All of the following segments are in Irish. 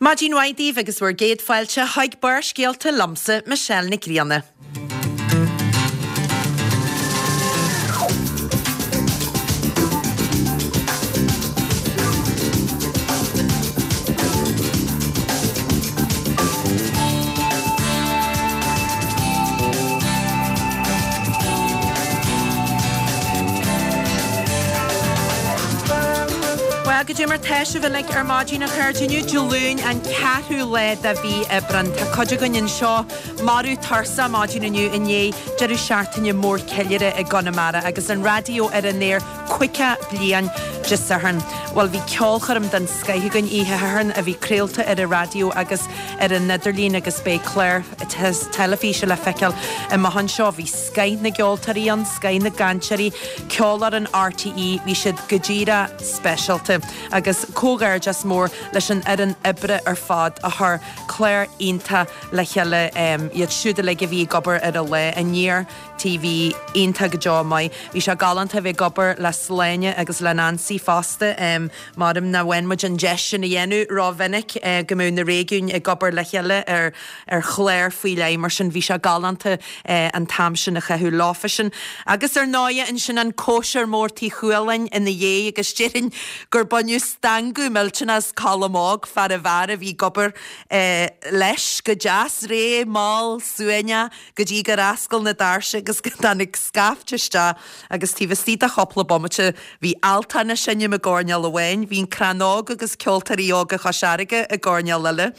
Maidin mhaith daoibh agus bhur gcéad fáilte chuig Barrscéalta liomsa, Michelle Nic Grianna. Bhuel, goidé mar tá sibh uilig ar maidin, a chairde. Inniu Dé Luain, an ceathrú lá de mhí Aibreán. Tá cuid againn anseo marbh tuirseach maidin inniu i ndiaidh deireadh seachtaine mór ceiliúrtha i gConamara agus an raidió ar an aer 50 bliain Dé Sathairn. Bhuel, bhí ceolchoirm den scoith againn oíche Shathairn a bhí craolta ar an raidió agus ar an idirlíon agus beidh clár teilifíse le feiceáil amach anseo. Bhí scoith na gceoltóirí ann, scoith na gcainteoirí, Ceolfhoireann RTÉ, bhí siad go díreach speisialta. Agus comhghairdeas mór leis an fhoireann oibre ar fad a chuir clár iontach le chéile, iad siúd uilig a bhí ag obair ar an lá, Aniar TV iontach go deo maith. Bhí sé galánta a bheith ag obair le Sláine agus le Nancy fosta. Maram nach bhfaigheann muid an deis sin a dhéanamh rómhinic, go mbeadh na réigiúin ag obair le chéile ar ar chlár faoi leith mar sin. Bhí sé galánta an t-am sin a chaitheamh leofasan. Agus ar ndóighe ansin an cóisir mór Tigh Chualáin ina dhiaidh agus déarfainn gur baineadh stangadh millteanach as Colm Óg, fear an bheáir a bhí ag obair leis go deas réidh mall suaimhneach go dtí gur oscail na doirse agus go dtáinig scaifte isteach agus taobh istigh de chúpla bomaite bhí Altan ag seinm i gcoirnéal amháin, bhí an Crann Óg agus Ceoltóirí Óga Chois Fharraige i gcoirnéal eile,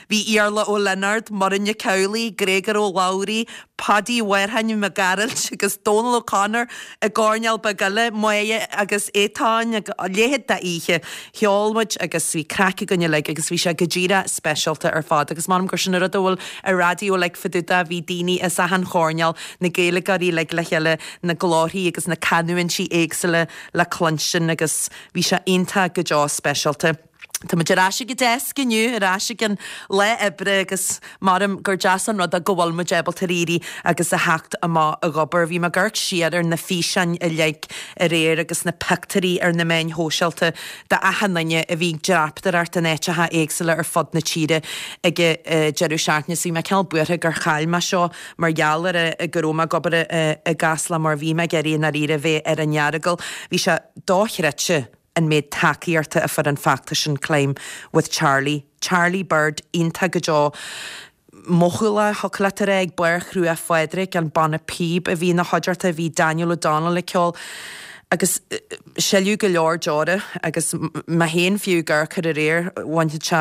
bhí Iarla Ó Lionáird, Muireann Nic Amhlaoibh, Gréagóir Ó Labhraí, Paudie Mhárthain Mac Gearailt agus Dónal O'Connor i gcoirnéal beag eile, Máire agus Étáin, a leithéid d'oíche. Cheol muid agus bhí craic againn uilig agus bhí sé go díreach speisialta ar fad agus m'anam gur sin an rud a bhfuil an raidió uilig fá dtaobh de, bhí daoine as achan choirnéal, na Gaeilgeoirí uilig le chéile, na glórthaí agus na canúintí éagsúla le cluinstin agus bhí sé iontach go deo speisialta. Tá muid ar ais ag an deasc inniu, ar ais ag an lá oibre agus maram gur deas an rud é go bhfuil muid ábalta éirí agus a theacht amach ag obair. Bhí mé ag amharc siar ar na físeáin uilig aréir agus na pictiúirí ar na meáin shóisialta d'achan duine a bhí ag dreapadóireacht in áiteacha éagsúla ar fud na tíre ag an deireadh seachtaine so bhí mé cineál buartha gur chaill mé seo mar gheall ar go raibh mé ag obair i gCasla mar bhí mé ag iarraidh i ndáiríre bheith ar an Earagail. Bhí sé dochreidte an méid tacaíochta a fuair an feachtas sin Climb with Charlie. Charlie Bird iontach go deo mothúlach, thiocfadh leat a rá, ag Beár Chruach Phádraig, an banna píob a bhí ina chuideachta, bhí Daniel O'Donnell ag ceol agus sileadh go leor deora agus mé féin fiú ag amharc air aréir, bhainfeadh sé,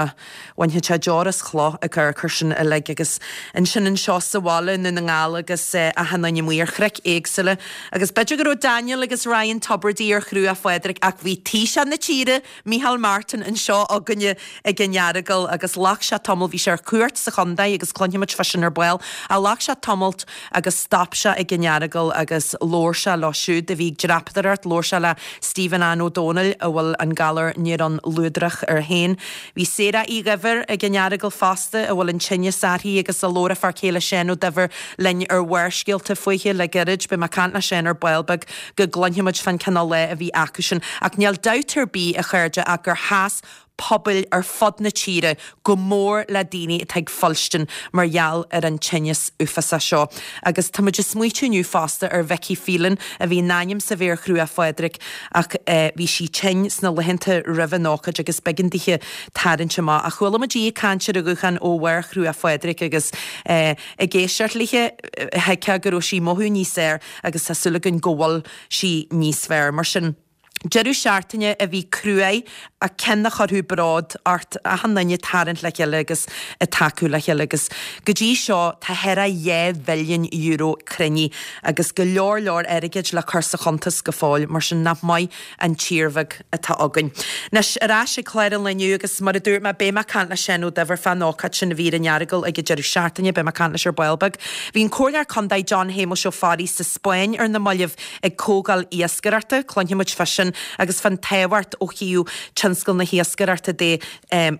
bhainfeadh sé deor as chloch ag amharc air sin uilig agus ansin anseo sa bhaile i nDún na nGall agus achan duine amuigh ar chnoic éagsúla agus b'fhéidir go raibh Daniel agus Ryan Tubridy ar Chruach Phádraig ach bhí Taoiseach na tíre, Micheál Martin anseo againne ag an Earagail agus ghlac sé tamall, bhí sé ar cuairt sa chontae agus cluinfidh muid fá sin ar ball, ach ghlac sé tamalt agus stop sé ag an Earagail agus labhair sé leo siúd a bhí ag dreapadóireacht, labhair sé le Stephen Ann Ó Dónaill a bhfuil an galar néarón luadrach air féin. Bhí Sarah Uí Dhuibhir ag an Earagail fosta a bhfuil an tinneas uirthi agus a labhair a fear céile Seán Ó Duibhir linn ar Bharrscéalta fúithi le gairid. Beidh mé ag caint le Seán ar ball beag go gcluinfidh muid fán cineál lá a bhí acusan. Ach níl dabht ar bith, a chairde, ach gur sheas pobail ar fud na tíre go mór le daoine atá ag fuilstin mar gheall ar an tinneas uafásach seo. Agus tá muid ag smaoitiú inniu fosta ar Vicky Phelan a bhí in ainm 's a bheith ar Chruach Phádraig ach bhí sí tinn sna laethanta roimh an ócáid agus b'éigean dithe tarraingt amach. Ach chuala muid í ag caint ar an ghuthán ó bharr Chruach Phádraig agus ag éisteacht léithe thuigfeá go raibh sí ag mothú níos fearr agus tá súil againn go bhfuil sí níos fearr. Mar sin, deireadh seachtaine a bhí cruaidh ach ceann a chuirfeadh bród ort, achan duine ag tarraingt le chéile agus ag tacú le chéile agus go dtí seo tá thar a €2 mhilliún cruinnithe agus go leor leor airgid le cur sa chuntas go fóill, mar sin nach maith an tír bheag atá againn. Anois, ar ais ag clár an lae inniu agus mar a dúirt mé, beidh mé ag caint le Seán Ó Duibhir fán ócáid sin a bhí ar an Earagail ag an deireadh seachtaine, beidh mé ag caint leis ar ball beag. Bhí an Comhairleoir Contae John Shéamuis Ó Fearraigh sa Spáinn ar na mallaibh ag comhdháil iascaireachta, cluinfidh muid fá sin agus fán tábhacht ó thaobh tionscal. tionscal na hiascaireachta de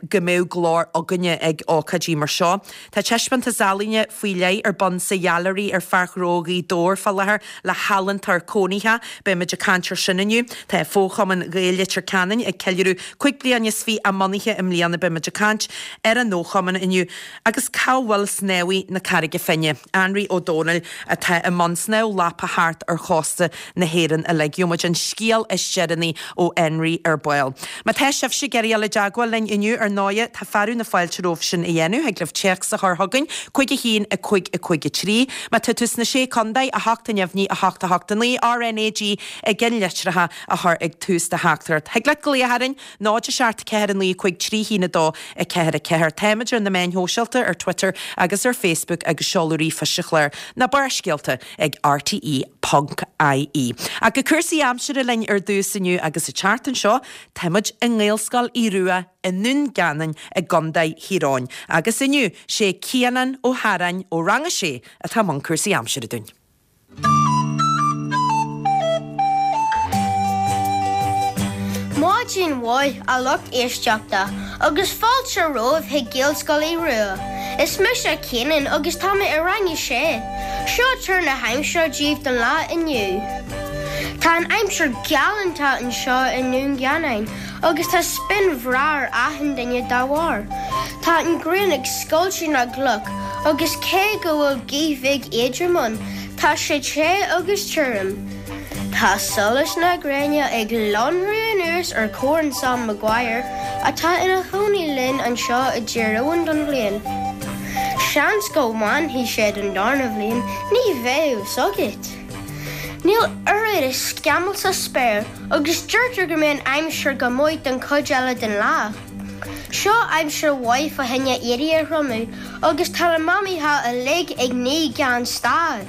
go mbeadh glór againne ag ócáidí mar seo. Tá taispeántas ealaíne faoi leith ar bun sa Ghailearaí ar Pháirc Ghnó Ghaoth Dobhair fá láthair le healaíontóir cónaitheach. Beidh muid ag caint ar sin inniu. Tá Fo-Chumann Ghaeil Leitir Ceanainn ag ceiliúradh 25 bliain a mbunaithe i mbliana. Beidh muid ag caint ar an fhochumann inniu. Agus cá bhfuil snámhaí na Carraige Finne? Anraí Ó Domhnaill atá i mbun snámh lapa thart ar chósta na hÉireann uilig. Gheobhaidh muid an scéal is deireanaí ó Anraí ar ball. Má tá sibhse ag iarraidh dul i dteagmháil linn inniu, ar ndóighe, tá fearadh na fáilte romhaibh sin a dhéanamh. Thig libh téacs a chur chugainn, 5 1 5 5 3. Má tá tú sna Sé Contae, 8 neamhní 8 8 9, RnaG i gceannlitreacha a chur ag tús do theachtaireacht. Thig leat glaoch orainn, 0 7 4 9 5 3 1 2 4 4. Táimid ar na meáin shóisialta, ar Twitter agus ar Facebook agus seoladh ríomhphoist an chláir, na Barrscéalta ag rte ponc ie. Ach go cúrsaí aimsire linn ar dtús inniu agus an tseachtain seo táimid i nGaelscoil Aodh Rua i nDún Geanainn i gContae Thír Eoghain agus inniu sé Cianán Ó hEaráin ó Rang 6 atá i mbun cúrsaí aimsire dúinn. Maidin mhaith a lucht éisteachta agus fáilte romhaibh chuig Gaelscoil Aodh Rua. Is mise Cianán agus tá mé i rang a sé. Seo tuar na haimsire daoibh don lá inniu. Tá an aimsir galánta anseo i nDún Geanainn agus tá spion bhreá ar achan duine dá bharr. Tá an ghrian ag scoilteadh na gcloch agus cé go bhfuil gaoth bheag éadrom ann, tá sé te agus tirim. Tá solas na gréine ag lonrú anuas ar Chorn Sam Maguire atá ina chónaí linn anseo i dTír Eoghain don bhliain. Seans go bhfanfaidh sé don darna bhliain, ní bheidh a fhios agat! Níl oiread is scamall sa spéir agus deirtear go mbeidh an aimsir go maith don chuid eile den lá. Seo aimsir mhaith fá choinne éadaí a thriomú agus tá na mamaithe uilig ag ní gan stad.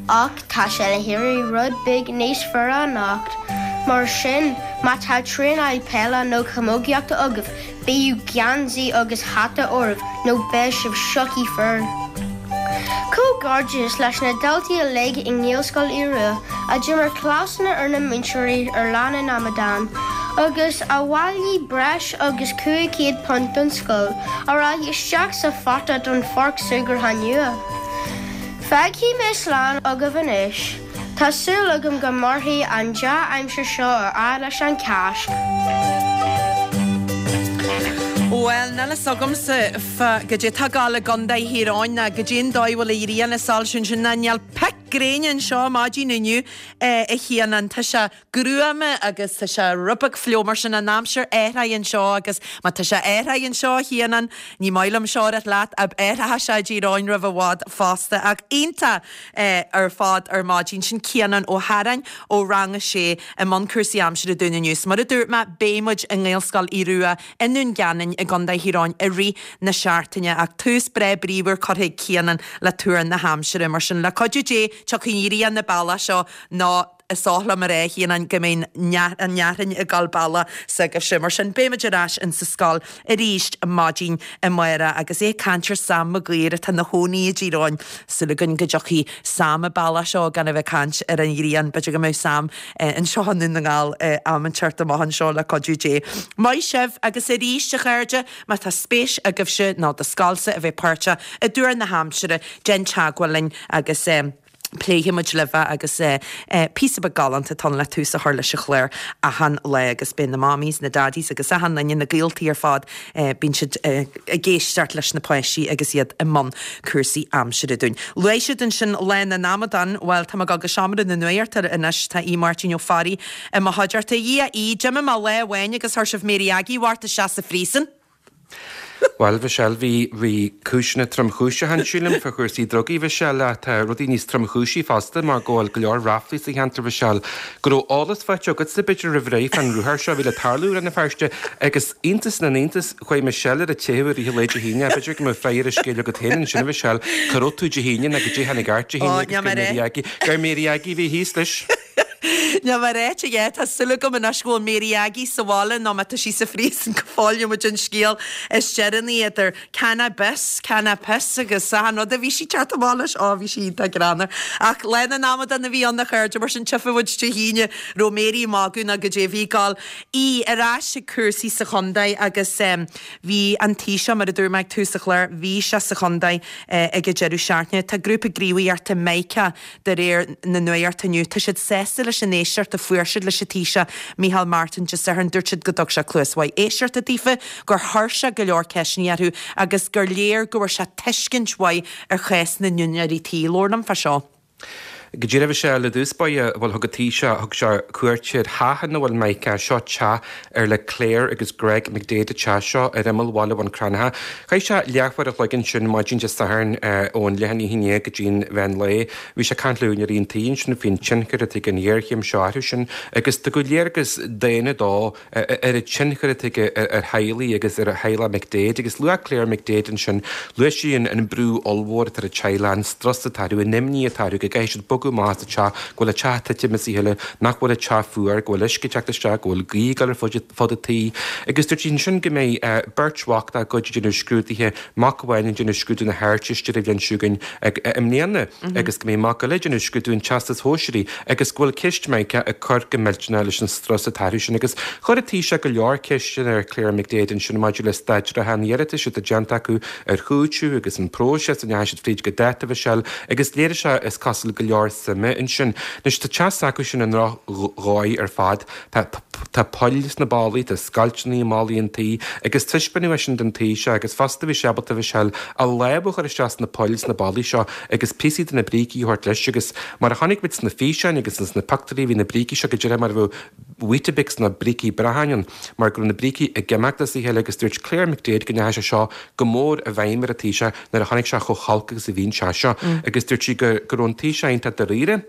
Ach tá sé le héirí rud beag níos fuaire anocht, mar sin má tá traenáil peile nó camógaíochta agaibh, bíodh geansaí agus hata oraibh nó beidh sibh sioctha fuar. Comhghairdeas leis na daltaí uilig i nGaelscoil Aodh Rua a d'imir cleasanna ar na múinteoirí ar Lá na nAmadán agus a bhailigh breis agus £500 don scoil a rachaidh isteach sa phota don pháirc súgartha nua. Fágfaidh mé slán agaibh anois. Tá súil agam go mairfidh an dea-aimsir seo ar fhad leis an Cháisc. Bhuel, níl fhios agamsa fá goidé tá ag gabháil i gContae Thír Eoghain ná goidé an dóigh a bhfuil an ghrian ag soilsiú ansin ná níl pic gréine anseo maidin inniu a Chianáin. Tá sé gruama agus tá sé rud beag fliuch mar sin an aimsir athraithe anseo agus má tá sé athraithe anseo a Chianáin, ní maith liom seo a rá leat, athróidh sé i dTír Eoghain roimh i bhfad fosta ach iontach ar fad ar maidin. Sin Cianán Ó hEaráin ó Rang a Sé i mbun cúrsaí aimsire dúinn inniu. 'S mar a dúirt mé, beidh muid i nGaelscoil Aodh Rua i nDún Geanainn i gContae Thír Eoghain i rith na seachtaine ach tús breá bríomhar curtha ag Cianán le tuar na haimsire. Mar sin, le cuidiú Dé, tiocfaidh an ghrian an bealach seo nó is oth liom a rá, a Chianáin, go mbeidh an fhearthainn ag dul bealach s'agaibhse. Mar sin, beidh muid ar ais insa scoil arís maidin amárach agus é ag caint ar Sam Maguire atá ina chónaí i dTír Eoghain. Súil againn go dtiocfaidh Sam an bealach seo gan a bheith ag caint ar an ghrian. B'fhéidir go mbeidh Sam anseo i nDún na nGall am inteacht amach anseo le cuidiú Dé. Maith sibh agus arís, a chairde, má tá spéis agaibhse nó do scoilsa a bheith páirteach i dtuar na haimsire, déan teagmháil linn agus. Pléifidh muid libh é agus píosa beag galánta atá ann le tús a chur leis an chlár achan lá agus beidh na mammies, na daddies agus achan duine, na gaoltaí ar fad, bíonn siad ag éisteacht leis na páistí agus iad i mbun cúrsaí aimsire dúinn. Luaigh siad ansin Lá na nAmadán, bhuel tá mé ag dul go seomra na nuachta anois, tá Aodh Máirtín Ó Fearraigh i mo chuideachta. A Dhia, a Aoidh, d'imigh mé lá amháin agus chuir sibh Mary Aggie Mhárta isteach sa phríosún. Bhuel, Mhichelle, bhí, bhí cúiseanna tromchúiseacha ann, sílim, fá chúrsaí drugaí, Mhichelle, ach tá rudaí níos tromchúisí fosta mar go bhfuil go leor ráflaí sa cheantar, Mhichelle, go raibh eolas faighte agatsa, b'fhéidir, roimh ré fán ruathar seo a bhí le tarlú i Rann na Feirste agus iontas na n-iontas, chuaigh Michelle ar a teitheadh i rith an lae Dé hAoine, b'fhéidir go mbeadh freagra ar an scéal agat féin ansin, a Mhichelle, cá raibh tú Dé hAoine nó goidé a tháinig ort Dé hAoine agus gur Mary Aggie, gur Mary Aggie a bhí thíos leis. Níl mé ráite aige, tá súil agam anois go bhfuil Mary Aggie sa bhaile nó má tá sí sa phríosún go fóill gheobhaidh muid an scéal is deireanaí idir cannabis, cannabis agus achan rud a bhí sí teacht amach leis. Ó, bhí sí iontach greannmhar. Ach Lá na nAmadán a bhí ann a chairde, mar sin tchífidh muid Dé hAoine raibh Mary ag magadh nó goidé a bhí ag gabháil. Í ar ais ag cúrsaí sa chontae agus bhí an Taoiseach, mar a dúirt mé ag tús an chláir, bhí sé sa chontae ag an deireadh seachtaine. Tá grúpa gníomhaíochta Mica De réir na nuachta inniu, tá siad sásta leis an éisteacht a fuair siad leis an Taoiseach, Micheál Martin, Dé Sathairn. Dúirt siad go dtug sé cluas mhaith éisteachta daofa, gur chuir sé go leor ceisteanna orthu agus gur léir go bhfuair sé tuiscint mhaith ar chás na n-úinéirí tí. Labhair liom fá seo. Go díreach Michelle, i dtús báire, bhuel thug an Taoiseach, thug sé cuairt ar theach ina bhfuil Mica, seo teach ar le Claire agus Greg McDaid an teach seo ar imeall bhaile Bhun Cranncha. Chaith sé leathuair a chloig ansin maidin Dé Sathairn ón leath i ndiaidh a haon go dtí an mheán lae. Bhí sé ag caint le húinéirí an tí ansin faoin tionchar atá ag an ghéarchéim seo orthu sin agus tugadh léargas daonna dó ar an tionchar atá aige ar theaghlaigh agus ar theaghlach McDaid. Agus luaigh Claire McDaid ansin, luaigh sí an brú ollmhór atá ar an teaghlach, an strus atá orthu, an imní atá orthu go gcaithfidh siad bogadh amach as an teach, go bhfuil an teach ag titim as a chéile, nach bhfuil an teach fuar, go bhfuil uisce ag teacht isteach, go bhfuil gaoth ag dul ar fud fud an tí agus dúirt sí ansin go mbeidh beirt mhac dá gcuid ag déanamh scrúduithe, mac amháin ag déanamh scrúdú na hArdteiste ar an bhliain seo chugainn i mbliana agus go mbeidh mac eile ag déanamh scrúdú an Teastais Shóisearaigh agus go bhfuil ceist Mica ag cur go millteanach leis an strus atá orthu sin agus chuir an Taoiseach go leor ceisteanna ar Claire McDaid ansin maidir le staid reatha an iarratais atá déanta acu ar chúiteamh agus an próiseas a ndeachaigh siad fríd go dáta Mhichelle agus léirigh sé is cosúil go leor suime ansin. Anois tá teach s'acu sin i ndrochdhóigh ar fad. Tá tá poill sna ballaí, tá scoilteanna i mballaí an tí agus taispeánadh é sin don Taoiseach agus fosta bhí sé ábalta Mhichelle a lámh a chur isteach sna poill sna ballaí seo agus píosaí de na brící a thabhairt leis agus mar a chonaic muid sna físeáin agus sna pictiúirí bhí na brící seo go díreach mar a bheadh Weetabix nó brící bracháin ann mar go raibh na brící ag imeacht as a chéile agus dúirt Claire McDaid go ndeachaigh sé seo go mór i bhfeidhm ar an Taoiseach nuair a chonaic sé chomh holc agus a bhí an teach seo agus dúirt sí go go raibh an Taoiseach iontach dáiríre.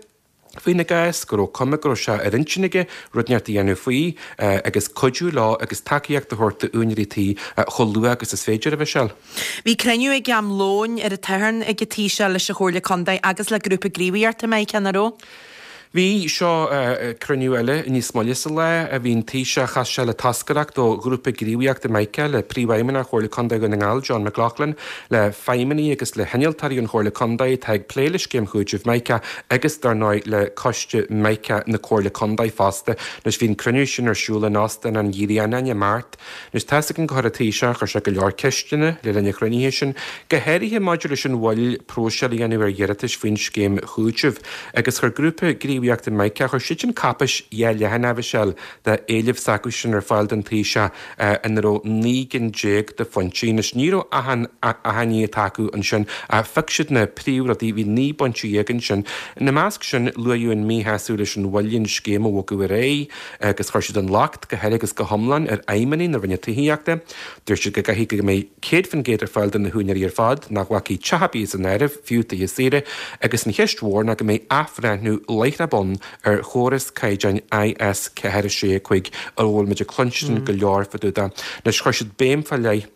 faoina gcás, go raibh cuma go raibh sé ar intinn aige rud inteacht a dhéanamh faoi agus cuidiú leo agus tacaíocht a thabhairt d'úinéirí tí chomh luath agus is féidir, a Mhichelle. Bhí cruinniú ag am lóin ar an tSatharn ag an Taoiseach leis an Chomhairle Contae agus le grúpa gníomhaíochta Mica, nach raibh? Bhí, seo cruinniú eile níos moille sa lá. Bhí an Taoiseach, chas sé le toscaireacht ó ghrúpa gníomhaíochta Mica, le Príomhfheidhmeannach Chomhairle Contae Dhún na nGall, John McLaughlin, le feidhmeannaigh agus le hinnealtóirí ón Chomhairle Contae atá ag plé le scéim chúitimh Mica agus, dar ndóigh, le Coiste Mica na Comhairle Contae fosta. Anois, bhí an cruinniú sin ar siúl in Óstán an Ghrianáin i Mart. Anois, tá's againn gur chuir an Taoiseach, chuir sé go leor ceisteanna le linn an chruinnithe sin, go háirithe maidir leis an mhoill próiseáil a dhéanamh ar iarratais faoin scéim chúitimh. Agus chuir grúpa gníomhaíochta Mica, chuir siadsan cáipéis dhá leathanach, a Mhichelle, d'éilimh s'acusan ar fáil don Taoiseach. ina raibh 19 gcinn de phointí. Anois, ní raibh achan achainí atá acu ansin ach phioc siad na príomhrudaí, bhí 19 bpointe ansin. Ina measc sin, luaíodh an míshásamh leis an mhoill an scéim a bhogadh ar aghaidh agus chuir siad an locht go huile agus go hiomlán ar fheidhmeannaigh na Roinne Tithíochta. Dúirt siad go gcaithfidh go mbeidh 100% ar fáil do na húinéirí ar fad, nach bhfágfaí teach ar bith as an áireamh, fiú tithe saoire, agus an cheist mhór ná go mbeidh athbhreithniú láithreach bonn ar chóras caighdeáin IS 4 6 5 a bhfuil muid ag cluinstin go leor fá dtaobh de. Anois, chuir siad béim fá leith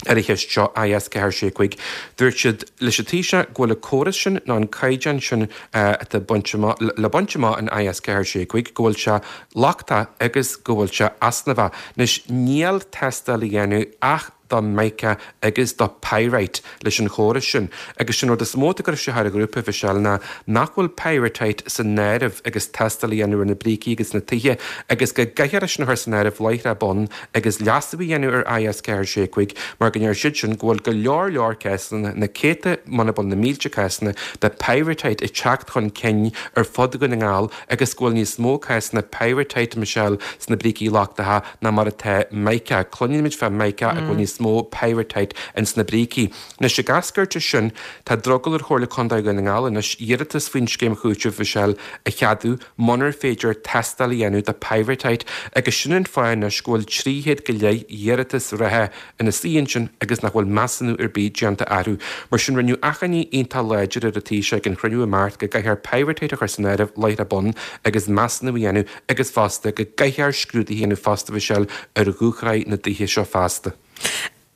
ar an cheist seo, IS 4 6 5. Dúirt siad leis an Taoiseach go bhfuil an córas sin nó an caighdeán sin atá bainte amach, le baint amach in IS 4 6 5, go bhfuil sé lochtach agus go bhfuil sé easnamhach. Anois, níl tástáil a dhéanamh ach do mica agus do pyrite leis an chóras sin. Agus sin rud is mó atá ag cur isteach ar an ghrúpa, Mhichelle, ná nach bhfuil pyrrhotite san áireamh agus tástáil a dhéanamh ar na brící agus na tithe agus go gcaithfear é sin a chur san áireamh láithreach bonn agus leasú a dhéanamh ar IS 4 6 5 mar go ndeir siad sin go bhfuil go leor leor cásanna, na céadta muna bhfuil na mílte cásanna, de pyrrhotite ag teacht chun cinn ar fud Dhún na nGall agus go bhfuil níos mó cásanna pyrrhotite, Michelle, sna brící lochtacha ná mar atá mica. Cluinimid fá mica ach go bhfuil níos mó pyrrhotite ins na brící. Anois, ag eascairt as sin, tá drogall ar Chomhairle Contae Dhún na nGall anois iarratas faoin scéim chúitimh, Mhichelle, a cheadú munar féidir tástáil a dhéanamh do pyrrhotite agus sin an fáth anois go bhfuil 300 go leith iarratas reatha ina suí ansin agus nach bhfuil measúnú ar bith déanta orthu. Mar sin, rinneadh achainí iontach láidir ar an Taoiseach ag an chruinniú i Mart go gcaithfear pyrrhotite a chur san áireamh láithreach bonn agus measúnú a dhéanamh agus fosta go gcaithfear scrúduithe a dhéanamh fosta Mhichelle ar dhúshraith na dtithe seo feasta.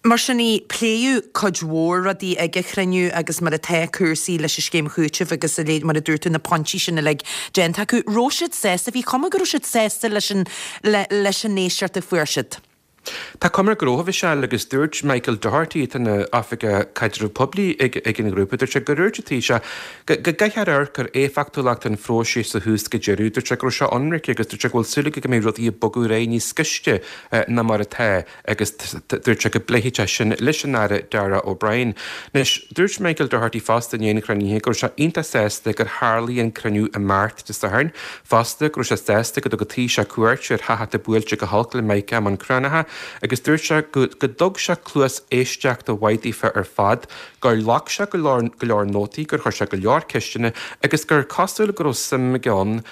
Mar sin é, pléadh cuid mhór rudaí ag an chruinniú agus mar atá cúrsaí leis an scéim chúitimh agus a leithéid, mar a dúirt tú, na pointí sin uilig déanta acu. Raibh siad sásta, bhí cuma go raibh siad sásta leis an, leis an éisteacht a fuair siad. Tá cuma air go raibh, a Mhichelle, agus dúirt Michael Doherty, atá ina Oifigeach Caidrimh Poiblí ag ag an ghrúpa, dúirt sé gur dhúirt an Taoiseach go go gcaithfear amharc ar éifeachtúlacht an phróisis ó thús go deireadh. Dúirt sé go raibh sé ionraic agus dúirt sé go bhfuil súil aige go mbeidh rudaí ag bogadh ar aghaidh níos gaiste ná mar atá. agus dúirt sé go bpléifidh sé sin leis an Aire Darragh O'Brien. Anois, dúirt Michael Doherty fosta i ndiaidh an chruinnithe go raibh sé iontach sásta gur tharlaigh an cruinniú i Máirt Dé Sathairn, fosta go raibh sé sásta go dtug an Taoiseach cuairt ar theach atá buailte go holc le Mica i mBun Cranncha agus dúirt sé go go dtug sé cluas éisteachta mhaith daofa ar fad, gur ghlac sé go leor go leor nótaí, gur chuir sé go leor ceisteanna agus gur cosúil go raibh suim aige ann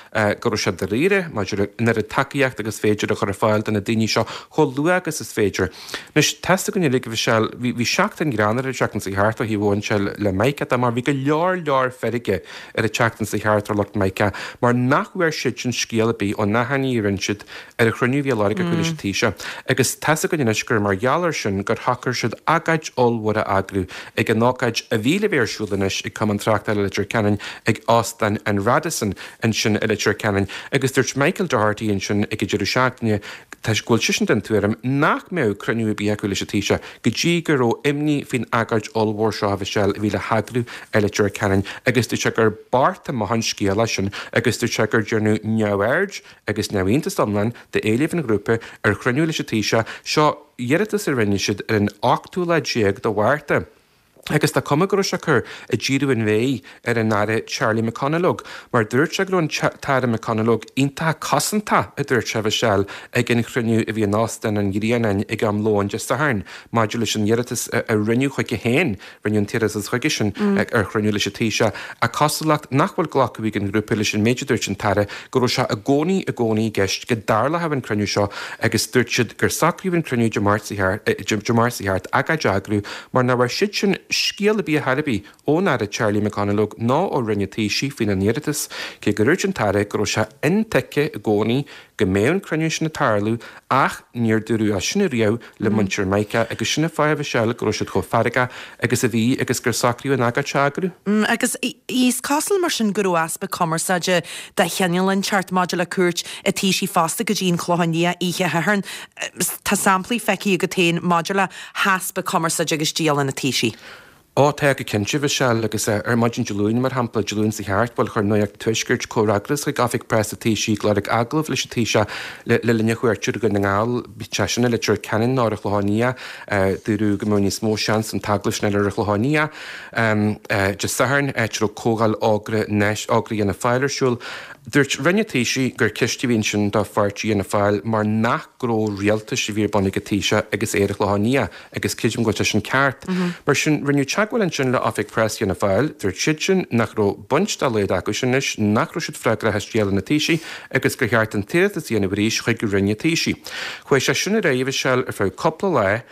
go raibh sé dáiríre maidir le an oiread tacaíocht agus féidir a chur ar fáil do na daoine seo chomh luath agus is féidir. Anois, tá's againn uilig, a Mhichelle, bhí, bhí seachtain ghreannmhar an tseachtain seo thart ó thaobh amháin de le Mica de mar bhí go leor leor feirge ar an tseachtain seo thart ar lucht Mica mar nach bhfuair siadsan scéal ar bith ón achainí a rinne siad ar an chruinniú a bhí á lorg acu leis an Taoiseach. Agus tá's againn anois gur mar gheall air sin gur shocair siad agóid ollmhór a eagrú ag an ócáid a bhí le bheith ar siúl anois ag Cumann Tráchtála Leitir Ceanainn ag Óstán an Radisson ansin i Leitir Ceanainn agus dúirt Michael Doherty ansin ag an deireadh seachtaine go bhfuil seisean den tuairim nach mbeadh cruinniú ar bith acu leis an Taoiseach go dtí go raibh imní faoin agóid ollmhór seo a Mhichelle a bhí le heagrú i Leitir Ceanainn agus dúirt sé gur beart amach an scéal é sin agus dúirt sé gur déanadh neamhaird agus neamhiontas iomlán d'éileamh an ghrúpa ar chruinniú leis an Taoiseach. Seo iarratas a rinne siad ar an ochtú lá déag de Mhárta agus tá cuma go raibh sé ag cur ag díriú an mhéir ar an Aire Charlie McConalogue mar dúirt sé go raibh an tAire McConalogue iontach cosantach, a dúirt sé, a Mhichelle, ag an chruinniú a bhí in Óstán an Ghrianáin ag am lóin Dé Sathairn maidir leis an iarratas a rinneadh chuige féin Rinneadh an t-iarratas chuige sin ar chruinniú leis an Taoiseach, ach cosúlacht nach bhfuil glacadh ag an ghrúpa leis an méid a dúirt an tAire go raibh sé i gcónaí i gcónaí i gceist go dtarlódh an cruinniú seo agus dúirt siad gur socraíodh an cruinniú Dé Máirt seo thart agóid a eagrú mar nach bhfuair siadsan scéal ar bith ar chor ar bith ón Aire Charlie McConalogue ná ó Roinn an Taoisigh faoina n-iarratas cé gur dhúirt an tAire go raibh sé intuigthe i gcónaí go mbeadh an cruinniú sin ag tarlú ach níor dúradh é sin ariamh le muintir Mica agus sin an fáth a Mhichelle go raibh siad chomh feargach agus a bhí agus gur socraíodh an agóid seo a eagrú. Agus is cosúil mar sin go raibh easpa cumarsáide de chineál inteacht maidir le cuairt an Taoisigh fosta go dtí an Clochán Liath oíche Shathairn. Tá samplaí feicthe agat féin maidir le heaspa cumarsáide agus dialann an Taoisigh. Ó, tá go cinnte, a Mhichelle, agus ar maidin Dé Luain, mar shampla, Dé Luain seo thart, bhuel, chuir Nuacht an Tuaiscirt comhfhreagras chuig Oifig Preasa an Taoisigh ag lorg agallamh leis an Taoiseach le linn a chuairte ar Dhún na nGall, bíodh sé sin i Leitir Ceanainn nó ar an Chlochán Liath. Dúradh go mbeadh níos mó seans an t-agallamh sin a fháil ar an Chlochán Liath Dé Sathairn, áit a raibh comhdháil Ógra Ógra Fhianna Fáil ar siúl. Dúirt Roinn an Taoisigh gur ceist a bhí ansin do pháirtí Fhianna Fáil mar nach gnó rialtais a bhí ar bun ag an Taoiseach agus é ar an Chlochán Liath. agus creidim go bhfuil sé sin ceart. Mar sin, rinneadh teagmháil ansin le Oifig Preasa Fhianna Fáil, dúirt siadsan nach raibh baint dá laghad acusan leis, nach raibh siad freagrach as dialann an Taoisigh agus gur cheart an t-iarratas a dhéanamh arís chuig Roinn an Taoisigh. Chuaigh sé sin ar aghaidh, a Mhichelle, ar feadh cúpla lá,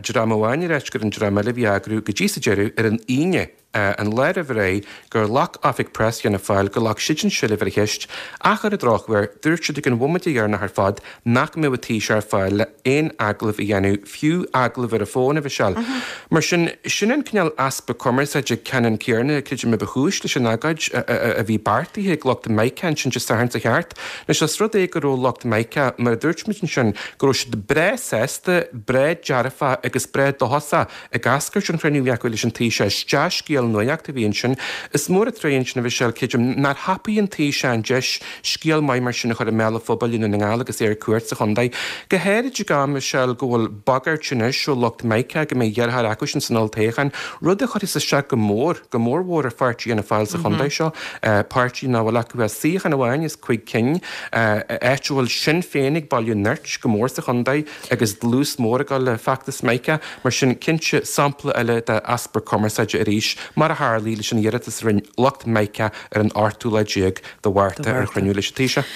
dream amháin ag ráit gur an dream eile a bhí á eagrú go dtí sa deireadh ar an Aoine. an lá roimh ré gur ghlac Oifig Preasa Fhianna Fáil gur ghlac siadsan seilbh ar an cheist ach ar an drochuair dúirt siad ag an bhomaite dheireanach ar fad nach mbeadh an Taoiseach ar fáil le haon agallamh a dhéanamh, fiú agallamh ar an bhfón, a Mhichelle. Mar sin, sin an cineál easpa cumarsáide ceannann céanna, creidim, a ba chúis leis an agóid a bhí beartaithe ag lucht Mica ansin Dé Sathairn seo thart. Anois, os rud é go raibh lucht Mica, mar a dúirt muid ansin, go raibh siad breá sásta, breá dearfach agus breá dóchasach Ag eascairt ón chruinniú a bhí acu leis an Taoiseach, is dea-scéal nuachta a bhí ansin. Is mór an truaighe ansin a Mhichelle, creidim, nár thapaigh an Taoiseach an deis scéal maith mar sin a chur i mbéal an phobail i nDún na nGall agus é ar cuairt sa chontae. Go háirid ag am, a Mhichelle, go bhfuil bagairt anois ó lucht Mica go mbeidh deartháir acusan san olltoghchán, rud a chuirfeas isteach go mór, go mórmhór ar pháirtí Fhianna Fáil sa chontae seo, páirtí nach bhfuil acu ach suíochán amháin as cuig cinn, áit a bhfuil Sinn Féin ag bailiú nirt go mór sa chontae. agus dlús mór ag dul le feachtas Mica, mar sin cinnte sampla eile de easpa cumarsáide arís, mar a tharlaigh leis an iarratas a rinne lucht Mica ar an ochtú lá déag de Mhárta ar chruinniú leis an Taoiseach.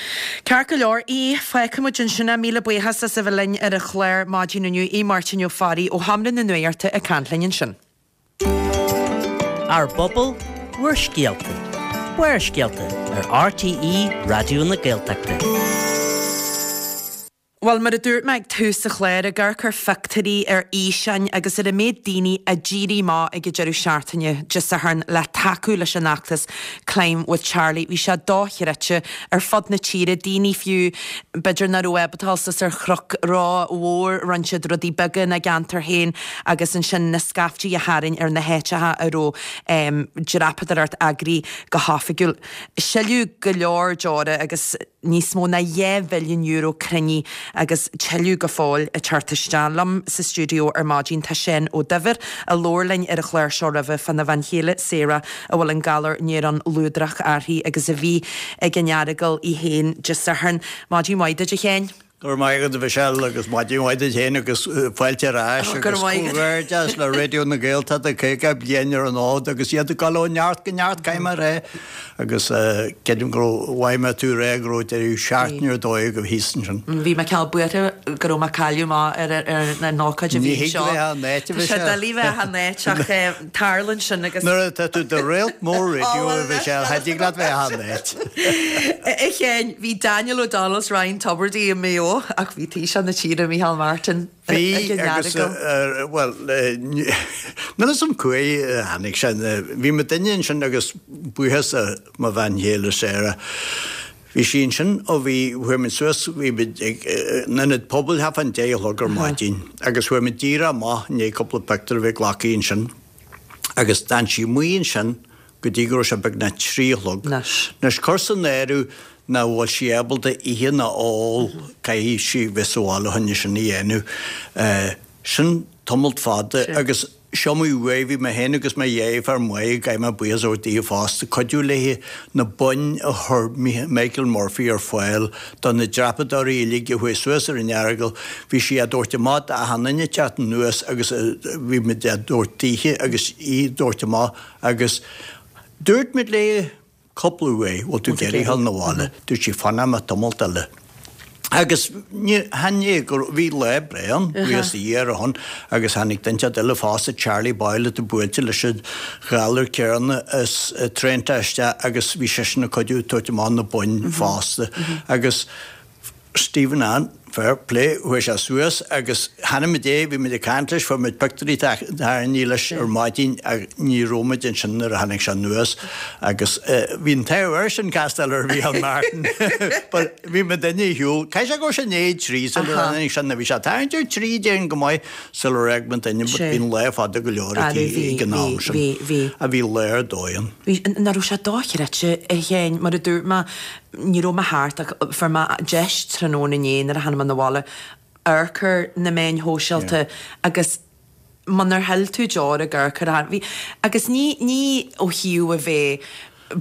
Ceart go leor, Aodh, fágfaidh muid ansin é. Míle buíochas as a bheith linn ar an chlár maidin inniu. Aodh Máirtín Ó Fearraigh ó Sheomra na Nuachta ag caint linn ansin. Ár bpobal, bhur scéalta. Barrscéalta ar RTÉ Raidió na Gaeltachta. Bhuel, mar a dúirt mé ag tús an chláir, ag amharc ar phictiúirí, ar fhíseáin agus ar an méid daoine a d'éirigh amach ag an deireadh seachtaine Dé Sathairn le tacú leis an fheachtas Climb with Charlie, bhí sé dochreidte ar fud na tíre, daoine fiú b'fhéidir nach raibh ábalta dul suas ar chnoc ró-mhór, rinne siad rudaí beaga ina gceantar féin agus ansin na scaiftí a tharraing ar na háiteacha a raibh dreapadóireacht eagraithe go hoifigiúil. Sileadh go leor deora agus. Níos mó ná €2 mhilliún cruinnithe agus tuilleadh go fóill ag teacht isteach. Liom sa stiúideo ar maidin tá Seán Ó Duibhir, a labhair linn ar an chlár seo roimhe fána bhean chéile Sarah a bhfuil an galar néarón luadrach uirthi agus a bhí ag an Earagail í féin Dé Sathairn. Maidin mhaith duit a Sheáin. Go raibh maith agat a Mhichelle agus maidin mhaith duit féin agus fáilte ar ais agus comhghairdeas le Raidió na Gaeltachta 50 bliain ar an fhód agus iad ag dul ó neart go neart caithfidh mé a rá agus creidim go raibh mhaith mé tú a rá go raibh deireadh seachtaine ar dóigh agaibh thíos ansin. Bhí mé cineál buartha go raibh mé ag cailleadh amach ar an ócáid a bhí anseo. Ní thig bheith achan áit a Tá sé doiligh bheith achan áit ach tarlaíonn sin agus. Nuair atá tú i do réalt mór raidió a Mhichelle, cha dtig leat bheith achan áit. A Sheáin, bhí Daniel O'Donnell 's Ryan Tubridy i Maigh Eo ach bhí Taoiseach na tíre, Micheál Martin, Bhí ag an agus, Earagail. bhuel, níl a fhios agam cá huair a tháinig sé. Bhí mo duine ansin agus buíochas le mo bhean chéile Sarah. Bhí sí ansin ó bhí, chuaigh muid suas, bhí muid ag an ionad pobail thart fán deich a chlog ar maidin agus chuaigh muid díreach amach i ndiaidh cúpla pictiúr a bheith glactha ansin agus d'fhan sí amuigh ansin go dtí go raibh sé beagnach 3 a chlog. Anois cuir san áireamh nach bhfuil sí ábalta ithe ná ól, caithfidh sí bheith sa bhaile chun é sin a dhéanamh. Sin tamalt fada agus Seo mo uaidh, bhí mé féin agus mo dheirfiúr Maeve, caithfidh mé buíochas a thabhairt daoithe fosta, cuidiú léi na boinn a chuir Michael Murphy ar fáil do na dreapadóirí uilig a chuaigh suas ar an Earagail. Bhí sí á dtabhairt amach d'achan duine ag teacht anuas agus bhí muid á dtabhairt daoithe agus í á dtabhairt amach agus dúirt muid léi, Cúpla uair, bhfuil tú ag iarraidh a ghabháil 'na bhaile? Dúirt sí, fanfaidh mé tamalt eile. Agus ní chan é go raibh, bhí lá breá ann, buíochas do Dhia ar a shon, agus tháinig duine inteacht eile fosta, Charlie Boyle, atá buailte leis an ghalar céanna as Trento isteach agus bhí seisean ag cuidiú ag tabhairt amach na boinn fosta. Agus Stephen Ann, fair play, chuaigh sé suas agus chonaic muid é, bhí muid ag caint leis, fuair muid pictiúirí tarraingthe leis ar maidin ach ní raibh muid ansin nuair a tháinig sé anuas agus bhí an t-ádh air sin castáil ar Mhícheál Martin but bhí muid ar shiúl, caithfidh sé go raibh sé i ndiaidh a trí sular tháinig sé, nó bhí sé ag tarraingt ar trí déarfainn go maith sular fhág muid but bhí an lá fada go leor aici ag an am sin. A bhí lá ar dóigh ann. Bhí, nach raibh sé dochreidte a Sheáin, mar a dúirt mé, Ní raibh mé thart ach fuair mé deis tráthnóna inné nuair a tháinig mé 'na bhaile amharc ar na meáin shóisialta agus munar shil tú deoir ag amharc ar bhí agus ní ní ó thaobh a bheith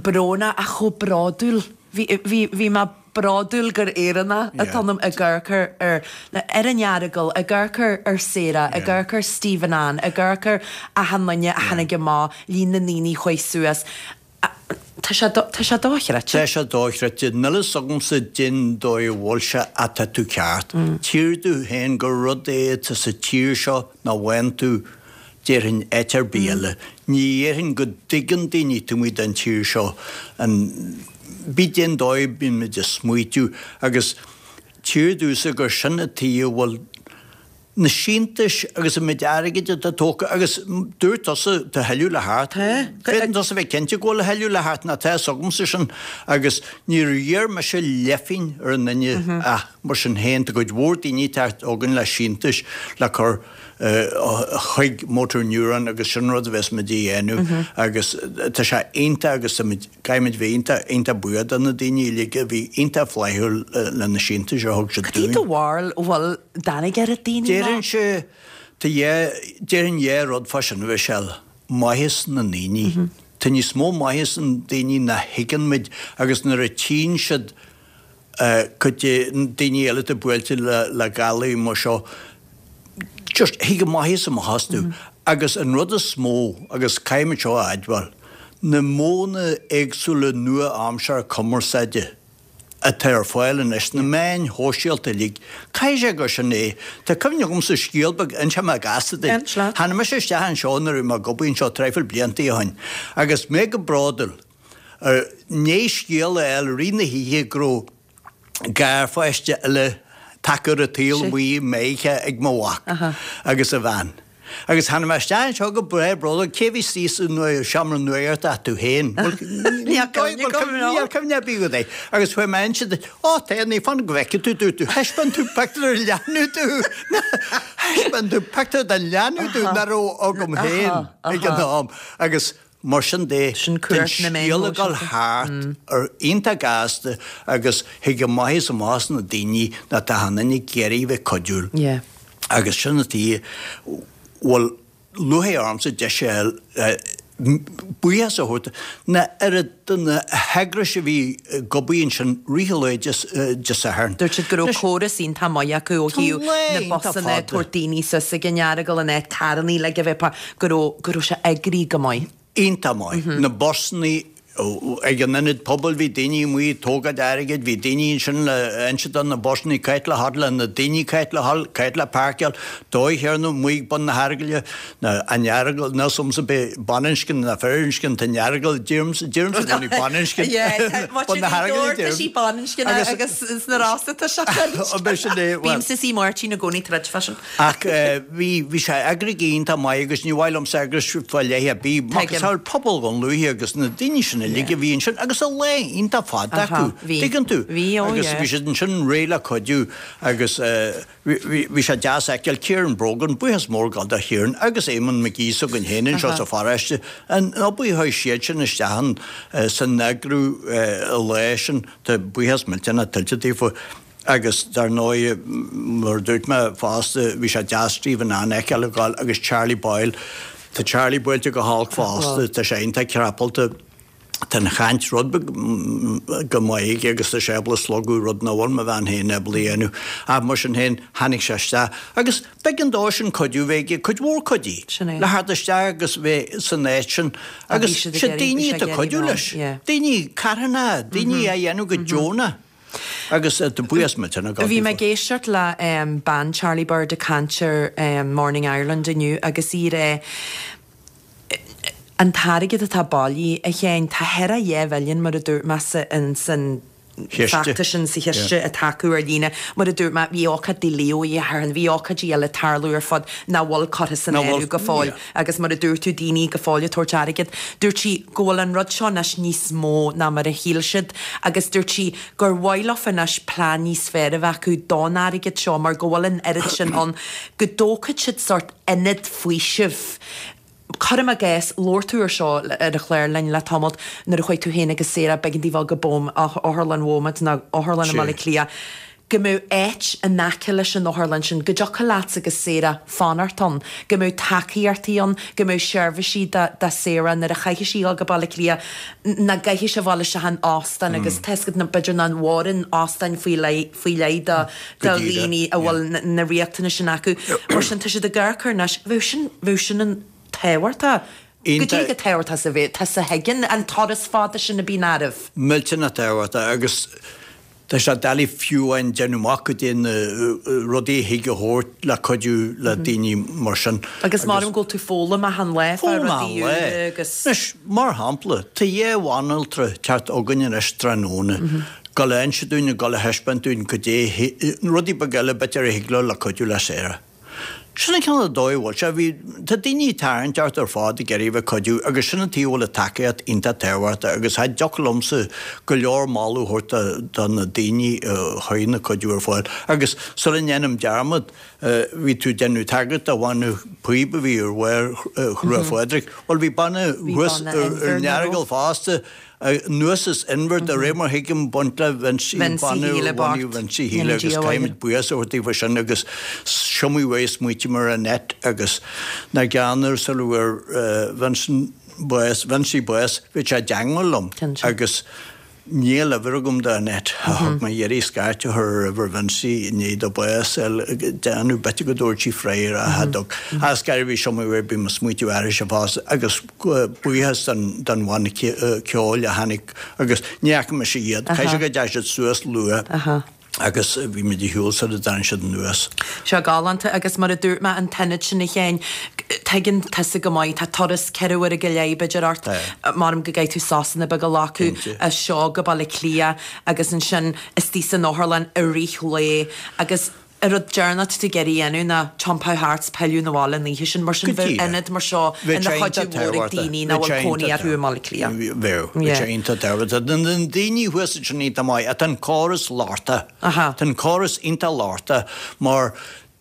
brónach ach chomh bródúil bhí bhí bhí mé bródúil gur Éireannach atá ionam ag amharc ar ar ar an Earagail ag amharc ar ar Sarah ag amharc ar Stephen Ann ag amharc ar achan duine a tháinig amach líon na ndaoine a chuaigh suas Tá sé, tá sé dochreidte. Tá sé dochreidte. Níl fhios agamsa cén dóigh a bhfuil sé ach tá tú ceart. Tchíthear domh féin gur rud é atá sa tír seo nach bhfaigheann tú, déarfainn, áit ar bith eile. Ní dhéarfainn go dtuigeann daoine taobh amuigh den tír seo an, bí cén dóigh a bíonn muid ag smaoitiú agus tchíthear domhsa gur sin an tuige a bhfuil na síntiúis agus an méid airgid atá tógtha agus dúirt tusa tá a thuilleadh le theacht. Féadann tusa bheith cinnte go bhfuil a thuilleadh le theacht nó tá fhios agamsa sin agus níor iarr mise leathphingin ar aon duine ach mar sin féin tá cuid mhór daoine ag teacht chugainn le síntiúis le cur chuig Motor Neuron agus sin rud a bheas muid a dhéanamh agus tá sé iontach agus tá muid Caithfimid bheith iontach, iontach buíoch do na daoine uilig a bhí iontach flaithiúil le na síntiúis a thug siad Cad é dúinn. do bharúil, bhfuil dtáinig oiread daoine amach? Déarfainnse, tá dhá, déarfainn dhá rud fá sin, a Mhichelle. Maitheas na ndaoine. Tá níos mó maitheas na ndaoine ná thuigeann muid agus nuair a tchíonn siad cuid de daoine eile atá buailte le galair mar seo, just thig an maitheas amach astu. Agus an rud is mó, agus caithfimid seo a admháil, na modhanna éagsúla nua-aimseartha cumarsáide atá ar fáil anois, na meáin shóisialta uilig, caithfidh sé gur sin é. Tá cuimhne agamsa scéal beag, inseoidh mé gasta duit. Tháinig mise isteach anseo nuair a bhí mé ag obair anseo traidhfil blianta ó shin agus mé go bródúil. I ndiaidh scéal a fháil i rith na hoíche go raibh garpháiste eile. Taca ar an tsaol amuigh i Meiriceá ag mo mhac agus a bhean. Agus tháinig mé isteach anseo go breá bródúil, cé a bhí istigh sa seomra nuachta ach tú féin? Níl cuimhne agam. Níl cuimhne ar bith agat air. Agus chuaigh mé inse duit, Ó, tá, ní fan go bhfeicfidh tú, dúirt tú, thaispeáin tú pictiúr den leanbh domh. Thaispeáin tú pictiúr den leanbh domh nach raibh agam féin ag an am. Agus Mar sin de, tá an scéal ag dul thart ar iontach gasta agus thig amach is amach na daoine nach tá an duine ag iarraidh bheith cuidiúil. Agus sin an tuige a bhfuil lúcháir ormsa deis a fháil buíochas a thabhairt na oiread de na heagrais a bhí ag obair ansin rith an lae Dé Sathairn. Dúirt siad go raibh córas iontach maith acu ó thaobh na busanna, tabhairt daoine suas ag an Earagail, an áit carrannaí le a bheith go raibh, go raibh sé eagraithe go maith. Iontach maith. Na busannaí ag an ionad pobail, bhí daoine amuigh ag tógáil airgid, bhí daoine ansin le inse do na busannaí cá háit le theacht, le na daoine cá háit le dhul, cá háit le páirceáil, dóigh chéanna amuigh ag bun na hEaragaile, na, an Earagail, níl 's a'msa b'é baininscne ná firinscne, tá an Earagail, deirimse, deirimse i gcónaí baininscne, bun na hEaragaile, deirim. Tá sí baininscne agus sna Rosa tá sé firinscne. Bímse is í Máirtín i gcónaí troid fá sin. Ach bhí, bhí sé eagraithe go iontach maith agus ní mhaith liomsa eagrais fá leith ar bith, macasamhail pobal Dhún Lúiche agus na daoine sin uilig a bhí ansin agus an lá iontach fada acu, tuigeann tú? Agus bhí siad ansin réidh le cuidiú agus bhí, bhí sé deas a fheiceáil Kieran Brogan, buíochas mór ag dul do Kieran agus Eamon McGee s'againn féin anseo sa pharóiste, an obair a chuir siad sin isteach ann san eagrú an lá sin, tá buíochas millteanach tuillte daofa. Agus dar ndóigh, mar a dúirt mé fosta, bhí sé deas Stephen Ann a fheiceáil ag gabháil agus Charlie Boyle. Tá Charlie buailte go holc fosta, tá sé iontach crapalta, tá an chaint rud beag go maith aige agus tá sé ábalta slogadh rud nach bhfuil mo bhean féin ábalta a dhéanamh. Ach mar sin féin, tháinig sé isteach agus b'éigean dó sin cuidiú bheith aige cuid mhór cuidí le theacht isteach agus bheith san áit sin agus sé daoine atá ag cuidiú leis, daoine carthanacha, daoine á dhéanamh go deonach. Agus tá buíochas millteanach agam Bhí mé ag éisteacht le bean Charlie Bird ag caint ar Morning Ireland inniu agus í ag rá an t-airgead atá bailithe, a Sheáin, tá thar a 2 mhilliún mar a dúirt mé sa san feachtas sin sa chiste atá acu ar líne. Mar a dúirt mé, bhí ócáid do Leo Uí Athairn, bhí ócáidí eile ag tarlú ar fud nach bhfuil curtha san áireamh go fóill. Agus mar a dúirt tú, daoine go fóill ag tabhairt airgead. Dúirt sí go bhfuil an rud seo anois níos mó ná mar a shíl siad agus dúirt sí gur mhaith leofa anois plean níos fearr a bheith acu don airgead seo mar go bhfuil an oiread sin ann go dtógfadh siad sórt ionad faoisimh. Cuirim i gcás, labhair tú ar seo ar an chlár linn le tamalt nuair a chuaigh tú féin agus Sarah, b'éigean daoibh dul go Otharlann Beaumont nó Otharlann i mBaile Átha Cliath. go mbeadh áit in aice leis an otharlann sin, go dtiocfadh leatsa agus Sarah fanacht ann, go mbeadh tacaíochtaí ann, go mbeadh seirbhísí do do Sarah nuair a chaithfidh sí dhul go Baile Átha Cliath, nach gcaithfidh sí a bhfáil isteach in óstán agus tá 'fhios agat nó b'fhéidir nach bhfóireann óstáin faoi leith faoi leith do do dhaoine a bhfuil na riachtanais sin acu. Mar sin tá siad ag amharc air anois, bheadh sin bheadh sin an tábhachtach. Go dtí go tábhachtach sa bheith, tá sa thuigeann an turas fada sin a bíonn oraibh. Millteanach tábhachtach agus Tá sé doiligh fiú amháin déanamh amach goidé na rudaí a thig a thabhairt le cuidiú le daoine mar sin. Agus maram go bhfuil tú foghlaim achan lá fá rudaí úra agus. Anois, mar shampla, tá dhá bhanaltra ag teacht chugainn anois tráthnóna, dul a inse dúinn, dul a thaispeáint dúinn goidé, rudaí beaga eile b'fhéidir a thig leo le cuidiú le Sarah. Sin an cineál de dóigh a bhfuil sé. Bhí, tá daoine ag tarraingt ort ar fad ag iarraidh a bheith ag cuidiú agus sin an tuige a bhfuil an tacaíocht iontach tábhachtach agus cha dtiocfadh liomsa go leor moladh a thabhairt do, do na daoine a chuir na cuidiú ar fáil. Agus sula ndéanaim dearmad, bhí tú ag déanamh tagairt do bhanna píob a bhí ar bharr Chruach Phádraig. Bhuel bhí banna thuas ar an Earagail fosta Anuas as Inbhir de réir mar thuigim baint le Vincie Shíle bocht. Vincie Shíle agus caithfimid buíochas a thabhairt daofa sin agus is iomaí uair a smaoitigh mé ar Annette agus nach gearr sula bhfuair Vincent bás, Vincie bás, bhí sé i dteangmháil liom agus níl uimhir agam do Annette. Thug mé iarraidh scairt a chur ar uimhir Vincie i ndiaidh dó bás a fháil ag déanamh b'fhéidir go dtabharfadh sí freagra a thug. Ach is gairid bhí is iomaí uair bím ag smaoitiú airse fosta agus buíochas don bhanna ceoil a tháinig agus ní fhaca mise iad. Caithfidh sé go dteachaigh siad suas luath. Agus bhí muid ar shiúl sula dtáinig siad anuas. Seo galánta agus mar a dúirt mé an t-ionad sin a Sheáin, tuigeann tusa go maith, tá turas 4 uaire go leith b'fhéidir ort, measaim go gcaithfidh tú sosanna beaga a ghlacadh as seo go Baile Átha Cliath agus ansin istigh san otharlann i rith lae agus an rud deireanach atá tú ag iarraidh a dhéanamh ná tiompú thart 's pilleadh 'na bhaile an oíche sin. Mar sin bheadh ionad mar seo ina chuidiú mhór ag daoine nach bhfuil cónaí orthu i mBaile Átha Cliath. Bheadh. Bheadh sé iontach tábhachtach. Tá na daoine thuas ansin iontach maith ach tá an córas lochtach. Tá an córas iontach lochtach mar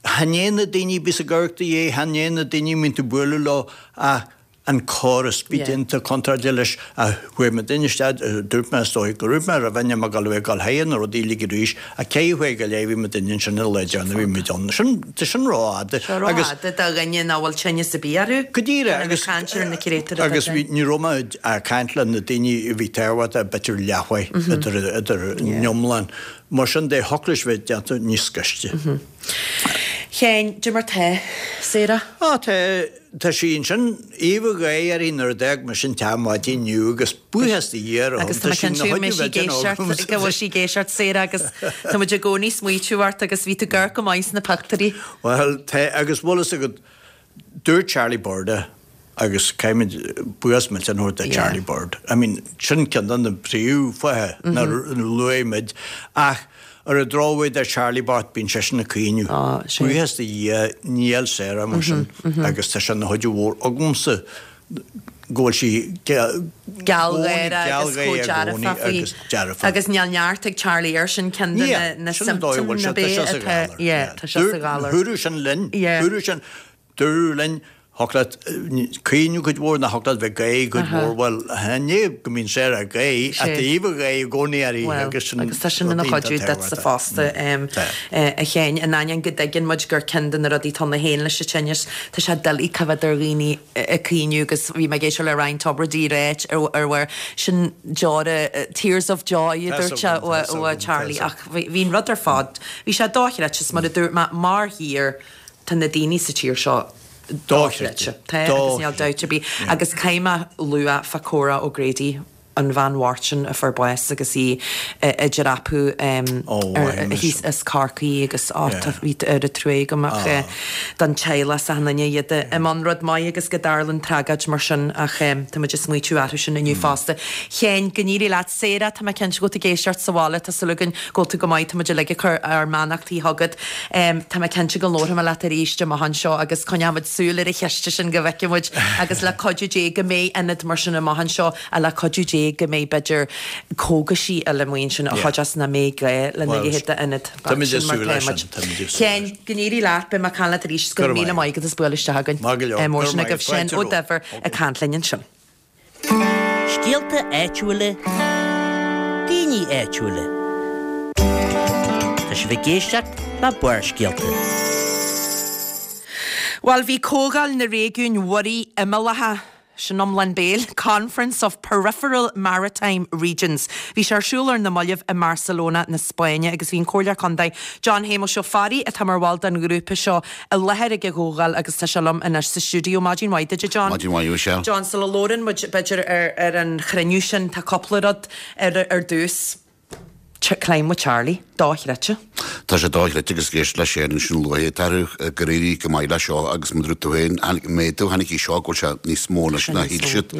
chan é na daoine a bíos ag amharc do dhiaidh, chan é na daoine a mbíonn tú ag bualadh leo ach an córas, bí déanta contráilte leis ach chuaigh muid isteach, dúirt mé is dóigh go raibh mé roimh ainm ag dul a bheith ag dul chuige na rudaí uilig arís ach ceithre huaire go leith bhí muid ansin an lá deireanach a bhí muid ann. Sin, tá sin rófhada Seo rófhada do dhuine nach bhfuil tinneas ar bith orthu. Go díreach agus caint ar na créatúir atá agus bhí, ní raibh mé ag caint le na daoine a bhí tábhachtach b'fhéidir leathmhaith idir idir an iomlán. Mar sin de, thiocfadh leis bheith déanta níos gaiste. Sheáin, cad é mar tá Sarah? Á, tá. Tá sí ansin, aoibh an ghaoth uirthi nuair a d'fhág mise an teach maidin inniu agus buíochas do Dhia ar a shon, tá sí ina chuid a bheith den agamsa. Go bhfuil sí ag éisteacht, Sarah, agus tá muid i gcónaí ag smaoitiú ort agus bhí tú ag amharc go maith sna pictiúirí. Bhuel, tá, agus bhfuil fhios agat, dúirt Charlie Bird é agus caithfimid buíochas millteanach a thabhairt do Charlie Bird. I mean, sin ceann de na príomhfháithe nár luaigh muid ach Ar an drochuair do Charlie bocht bíonn seisean ag caoineadh. Buíochas do Dhia níl Sarah mar sin agus tá sé ina chuidiú mhór agamsa go bhfuil sí gealgháireach agus chomh dearfach faoi agus níl neart ag Charlie air sin ceann de na symptoms na b'é atá yeah tá sé sa ghalar. Dúradh sin linn, dúradh sin. Dúradh linn, thiocfadh leat caoineadh cuid mhór nó thiocfadh leat bheith ag gáire cuid mhór, bhuel, chan é go mbíonn Sarah ag gáire, ach tá aoibh an gháire i gcónaí uirthi agus sin Agus tá sin ina chuidiú duitse fosta, a Sheáin, in ainneoin go dtuigeann muid gur ceann de na rudaí atá ann féin leis an tinneas, tá sé doiligh coimhéad ar dhaoine ag caoineadh agus bhí mé ag éisteacht le Ryan Tubridy ag ráit ar bharr sin deora, tears of joy a dúirt sé ó Charlie ach bhí an rud ar fad, bhí sé dochreidte, is mar a dúirt mé, mar thír, Tá na daoine sa tír seo dochreidte. Tá, agus níl dabht ar bith. Agus caithfidh mé lua fá Cora O'Grady, an bhean bhocht sin a fuair bás agus í ag dreapadh thíos as Corcaigh agus á tá bhí oiread trua agam ach don teaghlach is achan duine iad i mbun rud maith agus go dtarlann tragóid mar sin ach tá muid ag smaoitiú orthu sin inniu fosta. Sheáin, go n-éirí leat. Sarah, tá mé cinnte go bhfuil tú ag éisteacht sa bhaile, tá súil againn go bhfuil tú go maith, tá muid uilig ag cur ár mbeannachtaí chugat. Tá mé cinnte go labharfaidh mé leat arís amach anseo agus coinneoidh muid súil ar an chiste sin go bhfeicfidh muid agus le cuidiú Dé go mbeidh ionad mar sin amach anseo a le cuidiú Dé go mbeidh b'fhéidir cógaisí eile amuigh ansin a chuideos nach mbeidh gá lena leithéid d'ionad. Táimid ag súil leis sin. Táimid ag súil leis sin. Sheáin, go n-éirí leat, beidh mé ag caint leat arís. Go raibh míle maith agat as bualadh isteach chugainn. Maith go leor. Mór sin agaibh. Seán Ó Duibhir ag caint linn ansin. Scéalta áitiúla, daoine áitiúla. Tá sibh ag éisteacht le Barrscéalta. Bhuel, bhí Comhdháil na Réigiún Mhuirí Imeallacha, sin iomlán béil, Conference of Peripheral Maritime Regions, bhí sé ar siúl ar na mallaibh i mBarcelona na Spáinne agus bhí an Comhairleoir Contae John Shéamuis Ó Fearraigh, atá mar bhall den ghrúpa seo, i láthair ag an gcomhdháil agus tá sé liom anois sa stiúideo. Maidin mhaith duit, a John. Maidin mhaith, a Mhichelle. John, sula labhrann muid, b'fhéidir, ar ar an chruinniú sin, tá cúpla rud ar ar dtús. Climb with Charlie, dochreidte. Tá sé dochreidte agus ag éisteacht le Shane ansin luaithe, tá gur éirigh go maith leis seo agus mar a dúirt tú féin, tháinig méadú, tháinig í seo go bhfuil sé níos mó anois ná shíl siad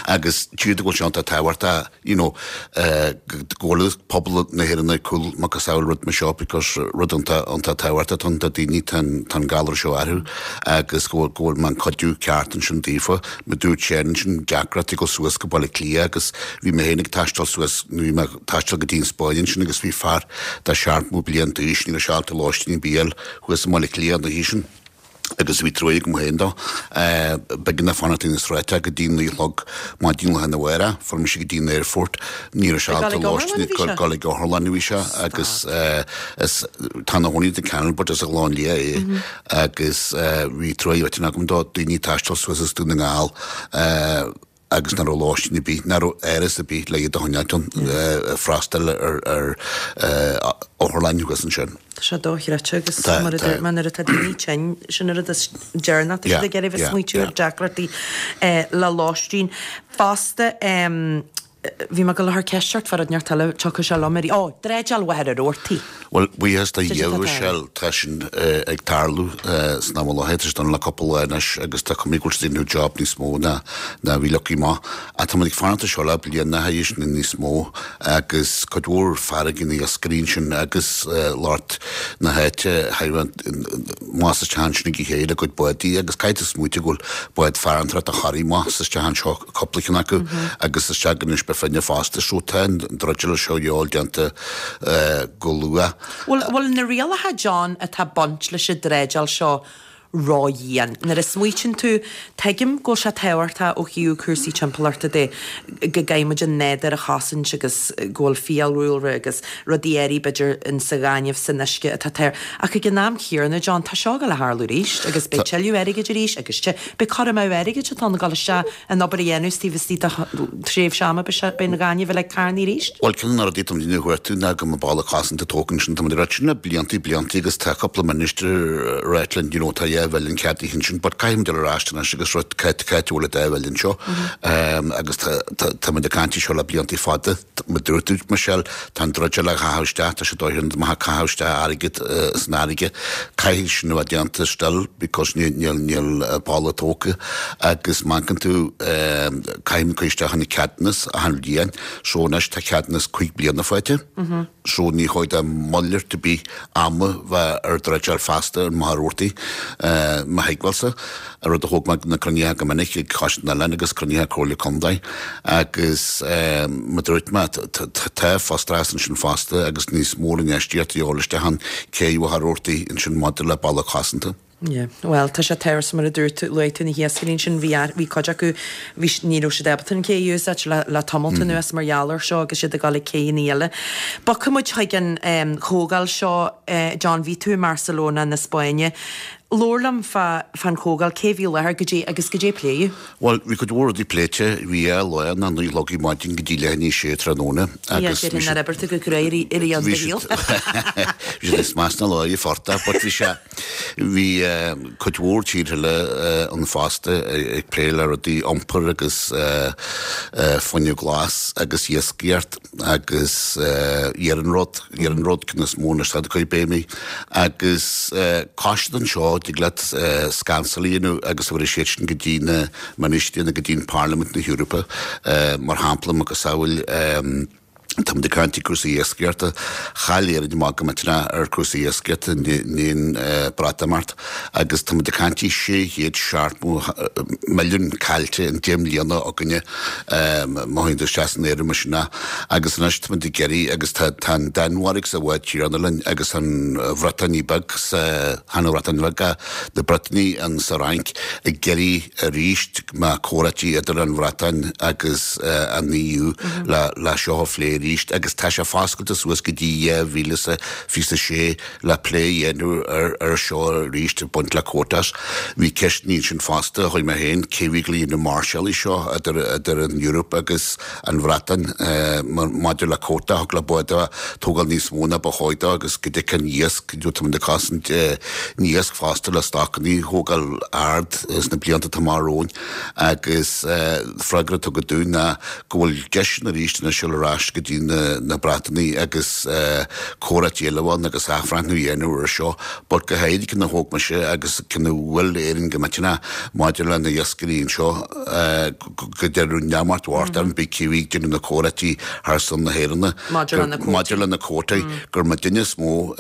agus tchíd go bhfuil sé iontach tábhachtach you know, go bhfuil pobal na hÉireann ag cúl macasamhail rud mar seo because rud iontach tábhachtach atá ann do daoine tá an galar seo orthu agus go bhfuil go bhfuil an cuidiú ceart ansin daofa. Mar dúirt Shane ansin deacracht ag dul suas go Baile Átha Cliath agus bhí mé féin ag taisteal suas nó bhí mé ag taisteal go dtí an Spáinn ansin agus bhí fear de 70 bliain d'aois ní raibh sé ábalta lóistín ar bith a fháil thuas i mBaile Átha Cliath an oíche sin. agus bhí trua agam féin dó. B'éigean dó fanacht ar na sráideanna go dtí 9 a chlog maidin lá arna mhárach. Fuair mise go dtí an aerfort. Ní raibh sé ábalta lóistín ag dul ag otharlann a bhí sé agus is tá ina chónaí i Canada but as an Ghleann Liath é agus bhí trua mhillteanach agam dó. Daoine ag taisteal suas as Dún na nGall agus nach raibh lóistín ar bith, nach raibh áras ar bith le iad a choinneáilt ann, freastal ar otharlann thuas ansin. Tá sé dochreidte agus mar a dúirt mé nuair atá daoine tinn, sin an rud is deireanach atá siad ag iarraidh bheith ag smaoitiú ar deacrachtaí le lóistín. Fosta bhí mé ag dul a chur ceist ort fá rud inteacht eile, tiocfaidh sé liom arís, ó, dreideáil Mhachaire Rabhartaigh. Bhuel, buíochas do Dhia, a Mhichelle, tá sin ag tarlú san am i láthair, tá sé done le cúpla lá anois agus tá cuma go bhfuil siad ag déanamh job níos mó ná a bhí leagtha amach. Ach tá muid ag fanacht air seo le bliain a théis nó níos mó agus cuid mhór farraige na iascairí ansin agus lucht na háite amach is isteach ansin ag a chéile a gcuid bádaí agus caithfidh tú smaoitiú go bhfuil bád farantóireachta Thoraí amach is isteach anseo cúpla ceann acu agus isteach in Inis Bó Finne fosta so tá an dreideáil seo a dhíobháil déanta go luath. Bhfuil na rialacha, John, atá ag baint leis an dreideáil seo ró-dhian? Nuair a smaoitíonn tú, tuigim go bhfuil sé tábhachtach ó thaobh cúrsaí timpeallachta de go gcaithfidh muid an nádúr a chosaint agus go bhfuil fiadhúlra agus rudaí áirithe b'fhéidir in sa ghaineamh san uisce atá tar ach ag an am chéanna, John, tá seo ag dul a tharlú arís agus beidh tuilleadh airgid arís agus beidh cur amú airgid atá ann ag dul isteach an obair a dhéanamh taobh istigh de thréimhse ama beidh an ghaineamh uilig carnaithe arís. Bhuel, ceann de na rudaí atá muid ag cuartú ná go mbeadh balla cosanta tógtha ansin. Tá muid ag ráit sin le bliantaí bliantaí agus tá cúpla minister ag ráit linn, you know, tá 2 mhilliún ceadaithe ansin, but caithfidh muid dul ar ais anois agus rud, cá áit a bhfuil an 2 mhilliún seo. Agus tá, tá, tá muid ag caint faoi seo le bliantaí fada. Mar dúirt tú, Michelle, tá an dreideáil á chaitheamh isteach, tá sé dóighiúil maith ag caitheamh isteach airgead san fharraige. Caithfidh sin a bheith déanta still because níl níl balla tógtha agus má amharcann tú caithfidh muid cur isteach an ceadúnas achan bhliain so anois tá ceadúnas 5 bliana faighte so ní chóir do mhalairt ar bith ama bheith ar dreideáil feasta ar mo tharrórtaí mo thuigbheálsa. an rud a thóg mé na cruinnithe go minic ag Coiste na nOileán agus cruinnithe Comhairle Contae agus mar dúirt mé tá frustrachas ansin fosta agus níos mó infheistíocht a dhíobháil isteach ann cé mhaith a ansin maidir le balla cosanta. Yeah, bhuel, tá sé tábhachtach mar a dúirt tú, luaigh tú na hiascairí ansin, bhí, bhí cuid acu, bhí, ní raibh siad ábalta an cé a úsáid le, le tamalt anuas mar gheall air seo agus iad ag dul ag céanna eile. Bogfaidh muid chuig an chomhdháil seo, John, bhí tú i mBarcelona na Spáinne. Labhair liom fá fán chomhdháil, cé bhí i láthair, goidé agus goidé pléadh. Bhuel, bhí cuid mhór rudaí pléite. Bhí dhá lá ann, 9 a chlog ar maidin go dtí leath i ndiaidh a sé tráthnóna agus bhí siad. Nár oibir tú go crua i rith an do shaoil. Bhí siad ag smas na láimhe forta, but bhí sé, bhí cuid mhór tíortha eile ann fosta ag plé le rudaí iompair agus fuinneamh glas agus iascaireacht. agus iarnród, iarnród ceann is mó anois atá ag cur béime agus coiste anseo dtig leat scansáil a dhéanamh agus tabharfaidh siad sin go dtí na ministrí nó go dtí an Parlaimint na hEorpa mar shampla macasamhail tá muid ag caint ar cúrsaí iascaireachta chaill Éirinn amach go millteanach ar cúrsaí iascaireachta i ndiaidh an Breatimeacht agus tá muid ag caint 670 milliún caillte in 10 mbliana againne Má théann tú isteach san áireamh mar sin é. Agus anois tá muid ag iarraidh, agus tá tá an Danmhairg sa bhád céanna linn agus an Bhriotáin Bheag sa, chan an Bhreatain Bheag ach na Briotanaigh an sa Fhrainc ag iarraidh arís go mbeadh comhráití idir an Bhreatain agus an EU le le seo a phlé arís agus tá sé foscailte suas go dtí 2026 le plé a dhéanamh ar seo arís ag baint le quotas. Bhí ceisteanna ansin fosta a chuir mé féin, cé bhí ag déanamh máirseáil seo idir an Eoraip agus an Bhreatain maidir le quota, thug le báid a tógáil níos mó ná ba chóir dó agus go dtiocfadh an iasc, tá muid ag cosaint an iasc fosta le stocanna a thógáil ard sna blianta atá amach romhainn agus freagra a tugadh dúinn ná go bhfuil deiseanna arís anois dul ar ais go dtí na Breatanaigh agus comhráití eile ann agus athbhreithniú a dhéanamh ar seo but go háirithe ceann a thóg mise agus ceann a bhuail Éirinn go millteanach maidir le na iascairí anseo go deireadh neamart mhart ann bhí cé bhí ag déanamh na comhráití thar son na hÉireann maidir le na cuótaí gur muidinne is mó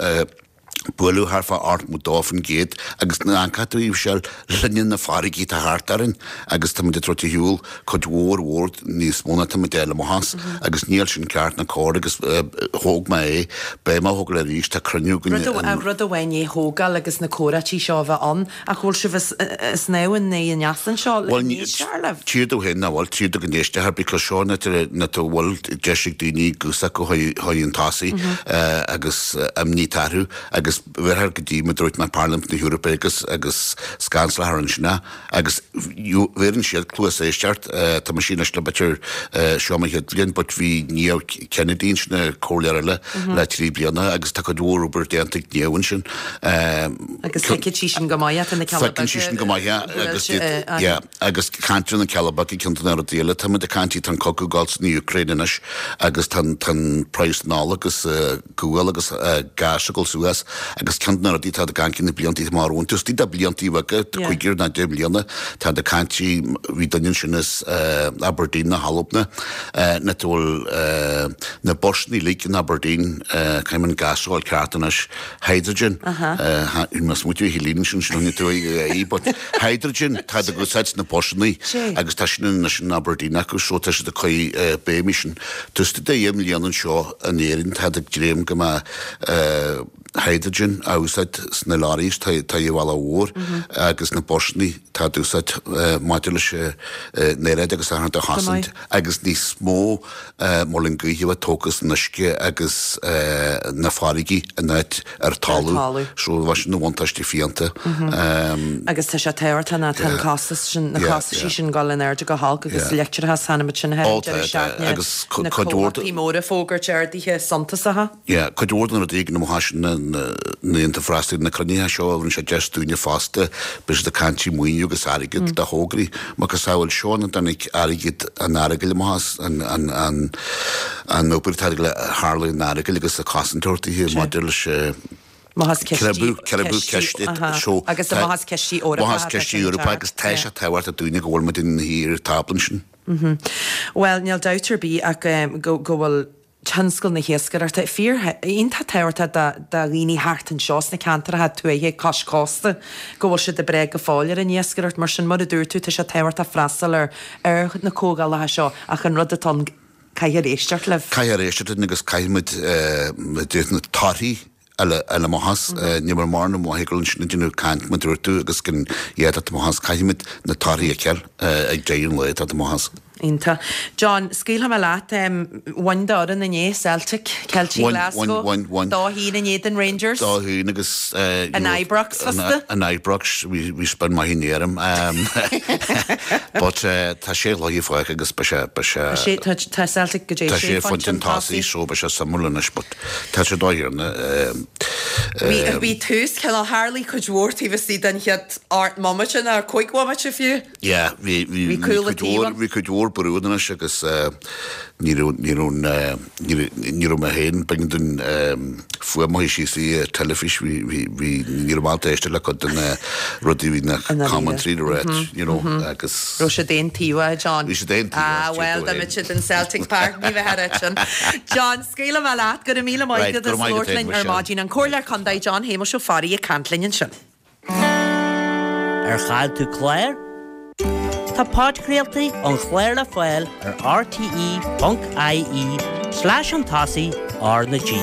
buaileadh thart fá 82% agus na caithfidh tú a Mhichelle linne na farraigí atá thart orainn agus tá muid ag tabhairt ar shiúl cuid mhór mhór níos mó ná tá muid ag fáil amach as agus níl sin ceart ná cóir agus thóg mé é, beidh mé á thógáil arís, tá cruinniú againn in. Rud amháin é thógáil agus na comhráití seo a bheith ann ach bhfuil sibh ag snámh in aghaidh an easa anseo le go n-éistfear libh? Tír do féin nach bhfuil, tír do go n-éistfear because seo an áit a bhfuil deis ag daoine guth s'acu chun tosaigh agus imní atá orthu agus. agus bheirthear go dtí, mar a dúirt mé, Parlaimint na hEorpa agus agus scanslachar ansin é agus bheireann siad cluas éisteacht. Tá mise anois le b'fhéidir seo mo chéad bhliain but bhí Niamh Kennedy ansin, an comhairleoir eile le 3 bliana agus tá cuid mhór obair déanta ag Niamh ansin. Agus tuigeann sí sin go maith, tá na Cealla Tuigeann sí sin go maith agus yeah agus caint ar na Cealla Beaga ceann de na rudaí eile táimid ag caint tá an cogadh ag dul san Úcráin anois agus tá an praghas an ola agus gual agus gás ag dul suas agus ceann de na rudaí atá ag caint na blianta amach romhainn, taobh istigh de blianta beaga, cúigear nó 10 mbliana, tá ag caint, bhí duine ansin as Aberdeen na hAlban, na bhfuil na busanna uilig in Aberdeen, caithfidh an gas a fháil ceart anois, hydrogen, má smaoitiú Helene sin sin tú í, but hydrogen tá ag úsáid sna busanna agus tá sin anois in Aberdeen acu so tá siad ag cur béim air sin. Taobh istigh de dheich mbliana anseo in Éirinn táid ag dréim go mbeidh hydrogen á úsáid sna lorries tá an bhealaigh mhóir agus na busanna tá á úsáid maidir leis an aeráid agus a chosaint agus níos mó muileann gaoithe a bheith tógtha san uisce agus na farraigí in áit ar talamh. So bheadh sin na bhuntáistí fiánta. Agus tá sé tábhachtach ná tá an costas sin, na costaisí sin ag dul in airde go holc agus leictreachas chonaic muid sin thar an deireadh seachtaine, na comhlachtaí móra ag fógairt arduithe suntasacha. Yeah, cuid mhór de na rudaí ag na mothaigh sin na n-aonta freastal ar na cruinnithe seo a rinne sé deis dúinne fosta, beidh siad ag caint maoiniú agus airgead do thograí. Macasamhail seo ina dtáinig airgead an Earagail amach as, an, an, an, an obair atá le tharla in Earagail agus a cosaint a thabhairt daoithe maidir leis Amach as cistí, cistí, aha, agus amach as cistí Eorpacha. Amach as cistí Eorpacha agus tá sé tábhachtach dúinne go bhfuil muid ina shuí ar an tábla ansin. Bhuel, níl dabht ar bith ach go bhfuil tionscal na hiascaireachta fíor iontach tábhachtach do dhaoine thart anseo sna ceantracha tuaithe cois cósta go bhfuil siad ag brath go fóill ar an iascaireacht. Mar sin, mar a dúirt tú, tá sé tábhachtach freastal ar ar na comhdhálacha seo ach an rud atá ann, caithfear éisteacht libh. Caithfear éisteacht linn agus caithfimid na torthaí a fháil amach as. Ní mar mar na mothaigh ansin ag déanamh caint mar dúirt tú agus go d'fhéadfadh amach as. Caithfimid na torthaí a fheiceáil ag deireadh an lae atá amach as. Iontach. John, scaoilfidh mé leat. Bhain d'fhoireann inné, Celtic, Ceiltigh Glasgow, Bhain, bhain, bhain. 2-1 in éadan Rangers. 2-1 agus. In Ibrox fosta. In Ibrox, bhí spion maith inné orm. But tá sé chluiche fágtha agus beidh sé, beidh sé. Tá Celtic go dtí sé phointe chun tosaigh so beidh sé suimiúil anois but. Tá sé dóigh ar na. Bhí tús, cineál, tharlaigh cuid mhór taobh istigh den chéad 8 mbomaite nó 5 bhomaite fiú. Yeah, bhí, bhí, bhí cuid mhór, bhí cuid mhór brú anois agus ní raibh, ní raibh, ní raibh mé féin, b'éigean dúinn fuaim a chur síos sa teilifís, bhí, bhí, bhí, ní raibh mé ábalta éisteacht le cuid de na rudaí a bhí na commentary a rá, you know, agus. Raibh siad aontaobhach, John? Bhí siad aontaobhach. Ah, well, dá mbeadh siad in Celtic Park, ní bheadh a sin. John, Scaoilfidh mé leat, go raibh míle maith agat as labhairt linn ar maidin. An Comhairleoir Contae John Shéamuis Ó Fearraigh ag caint linn ansin. Ar chaill tú clár? Tá podchraoltaí an chláir le fáil ar rte.ie slash chun tosaigh R na G.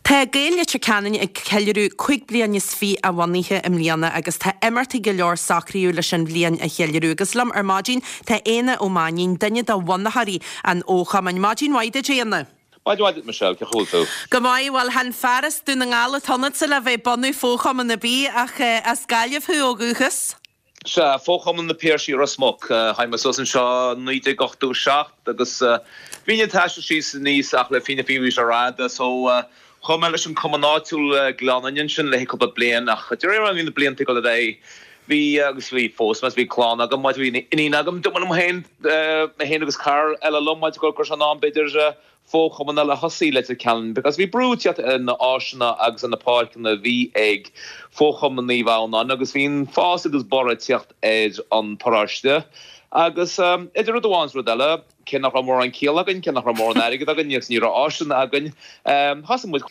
Tá Gaeil Leitir Ceanainn ag ceiliúradh 25 bliain a bhunaithe i mbliana agus tá imeachtaí go leor socraithe leis an bhliain a cheiliúradh. Agus liom ar maidin tá Éanna Ó Mainnín, duine de bhunaitheoirí an fhochumainn. Maidin mhaith duit, a Éanna. Maidin mhaith duit, Michelle. Cén chaoi a bhfuil tú? Go maith. Bhuel, chan fear as Dún na nGall atá ionatsa le bheith ag bunú fochumann ar bith ach as Gaillimh thú ó dhúchas. Sea, Fochumann na Piarsaigh Ros Muc. Tháinig mé suas anseo i 1987 agus bhínn ag taisteal síos aníos ach le fírinne bhí sé rófhada so chuaigh mé leis an cumann áitiúil Gleann Fhinne ansin le haghaidh cúpla bliain ach de réir mar a bhí na blianta ag dul ar aghaidh bhí agus bhí fós bhí clann agam bhí iníon agam dúirt mé liom féin mé féin agus cara eile liom go raibh sé in am b'fhéidir fochumann eile a thosaí i Leitir Ceanainn because bhí brú ag teacht ar na áiseanna agus ar na páirceanna a bhí ag Fochumann Naomh Adhamhnáin agus bhí an fás agus borradh ag teacht ar an paróiste agus idir rud amháin is rud eile, cé nach raibh mórán ciall againn, cé nach raibh mórán airgead againn agus ní raibh áiseanna againn, thosaigh muid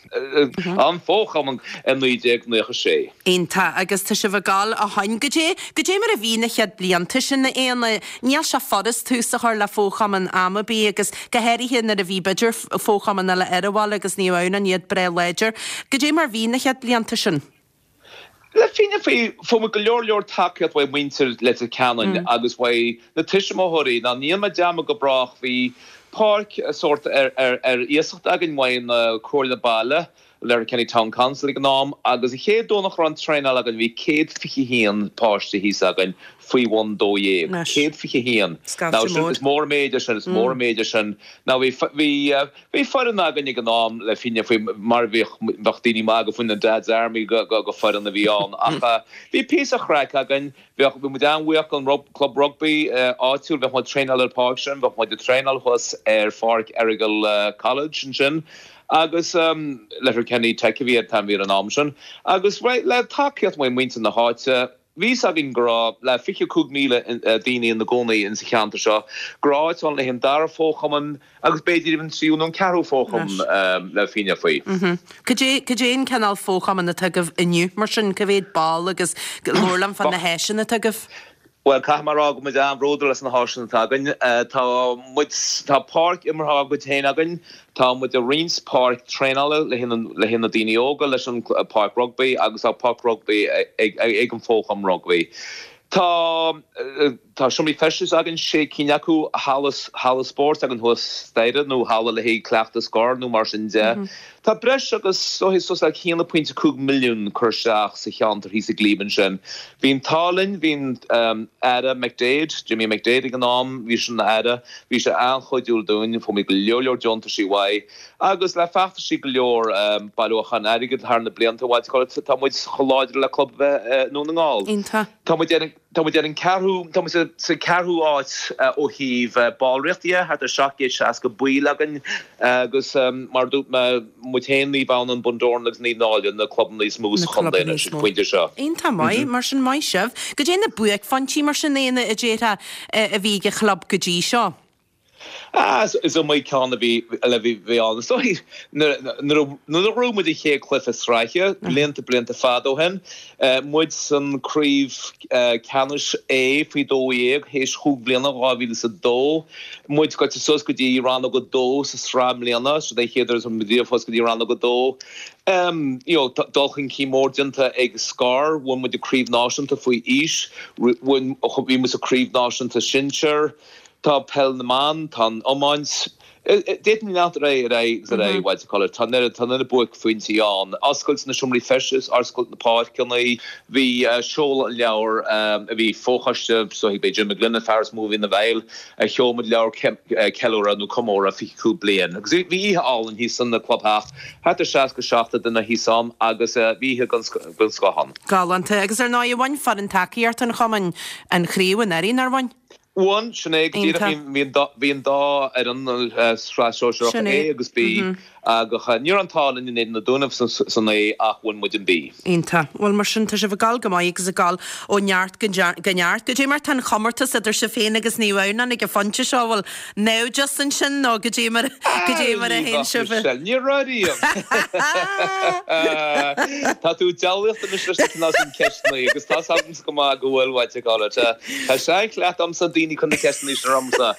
an fochumann i 1996. Iontach, agus tá sibh ag gabháil ó shoin. Goidé, goidé mar a bhí na chéad blianta sin, a Éanna? Níl sé furast tús a chur le fochumann am ar bith agus go háirithe nuair a bhí b'fhéidir fochumann eile ar an bhaile agus Naomh Adhamhnáin iad breá láidir. Goidé mar bhí na chéad blianta sin? Le fírinne fuair muid go leor leor tacaíocht uaidh muintir Leitir Ceanainn agus uaidh na tuismitheoirí. Ná ní dhéanfaidh mé dearmad go brách, bhí páirc sórt ar iasacht againn uaidh na Comhairle Baile. Letterkenny Town Council ag an am agus an chéad Domhnach a raibh an traenáil againn bhí 121 páiste thíos againn faoi bhun 12. 121. Now sin, is mór an méid é sin, is mór an méid é sin. Now bhí, bhí, bhí foireann againn ag an am le fírinne faoi mar bhíodh, bheadh daoine ag magadh faoin an Dad's Army go, go, go foireann a bhí ann ach bhí píosa chraic againn. Bheadh, bhí muid an-bhuíoch don club rugbaí áitiúil, bheadh muid ag traenáil ar an pháirc sin, bheadh muid ag traenáil thuas ar pháirc Errigal College ansin agus Letterkenny Tech a bhí an t-ainm a bhí air an am sin agus le tacaíocht ó mhuintir na háite, bhí fhios againn go raibh le 25,000 daoine ina gcónaí insa cheantar seo, go raibh áit ann le haghaidh an dara fóchumann, Agus b'fhéidir an tríú nó an ceathrú fóchumann le fírinne faoi. Cad é, cad é an cineál fóchumann atá agaibh inniu mar sin? Cá mhéad ball agus labhair liom fá na háiseanna atá agaibh? Bhuel, caithfidh mé a rá go bhfuil muid an-bhródúil as na háiseanna atá againn. Tá muid, tá páirc imeartha ár gcuid féin againn, tá muid ag roinnt páirc traenála le haghaidh na daoine óga leis an páirc rugbaí agus tá páirc rugbaí ag an fóchumann rugbaí. Tá. Tá seomraí feistis againn, sé cinn acu, halla, halla spóirt againn thuas staighre nó halla le haghaidh cleachtadh scor nó mar sin de. Tá breis agus suas le 1.5 milliún curtha isteach sa cheantar thíos i gClíb ansin. Bhí an t-ádh linn, bhí an Aire McDaid, Jimmy McDaid ag an am, bhí sé ina Aire, bhí sé an-chuidiúil dúinn, fuair muid go leor leor deontaisí uaidh agus le feachtaisí go leor bailiúchán airgid thar na blianta, what do you call it, tá muid chomh láidir le club a bheith i nDún na nGall. Iontach. Tá muid ar an. Tá muid ar an ceathrú, tá muid sa ceathrú áit ó thaobh ballraíocht dhe, thart ar 760 baill againn agus mar a dúirt mé, muid féin, Naomh Adhamhnáin, Bun Dobhráin agus Naomh Náille na clubanna is mó sa chontae anois ag an phointe seo. Iontach maith, mar sin, maith sibh. Goidé na buaicphointí mar sin, Éanna, a déarfá, a bhí ag an chlub go dtí seo? Ah, is iomaí ceann a bhí, a bhí ann. Is dóigh, nuair a ghnóthaigh muid an chéad chluiche sraithe, blianta, blianta fada ó shin, muid san craobh ceannais A faoi 12, théis chúig bliana, 2002, muid gaibhte suas go dtí rannóg a dó sa sraith i mbliana, sin é an chéad uair a muid riamh suas go dtí rannóg a dó. You know, dul chun cinn mór déanta ag Scor, bhain muid an craobh náisiúnta faoi aois, bhain, bhí muid sa craobh náisiúnta sinsear, Tá peil na mban, tá an iomáint. D'fhéadfainn leanacht ar aghaidh, ar aghaidh agus ar aghaidh, what do you call it. Tá an oiread, tá an oiread buaicphointí ann. Oscailt na seomraí feistis, oscailt na páirceanna, bhí seoladh an leabhair, a bhí fochoiste, so b'é Jim McGlynn an fear is mó a bhí ina bhfeighil, a sheol muid leabhar ceiliúradh nó comóradh 25 bliain. Agus bhí oíche álainn thíos san clubtheach, thart ar 60, 70 duine thíos ann agus bhí oíche den scoth ann. Galánta. Agus ar ndóigh, bhain foireann tacaíochta an chumainn an chraobh anuraidh, nár bhain? Bhain, sin é go díreach. Bhí an dá fhoireann, Sraith Sóisearach A agus B, agus ní raibh an t-ádh linn in éadan na Dúnaibh san A ach bhain muid an B. Iontach. Bhuel, mar sin, tá sibh ag gabháil go maith agus ag gabháil ó neart go neart. Goidé mar tá an chomórtas idir sibh féin agus Naomh Adhamhnáin ag an phointe seo? Bhfuil naimhdeas ansin nó goidé mar, goidé mar a théann sibh? Michelle, ní raibh riamh. Tá tú ag diabhlaíocht anois leis na cineál sin ceisteanna agus tá's agamsa go maith go bhfuil, what do you call it. Tá seanchleachtadh agamsa daoine chun na ceisteanna sin ormsa.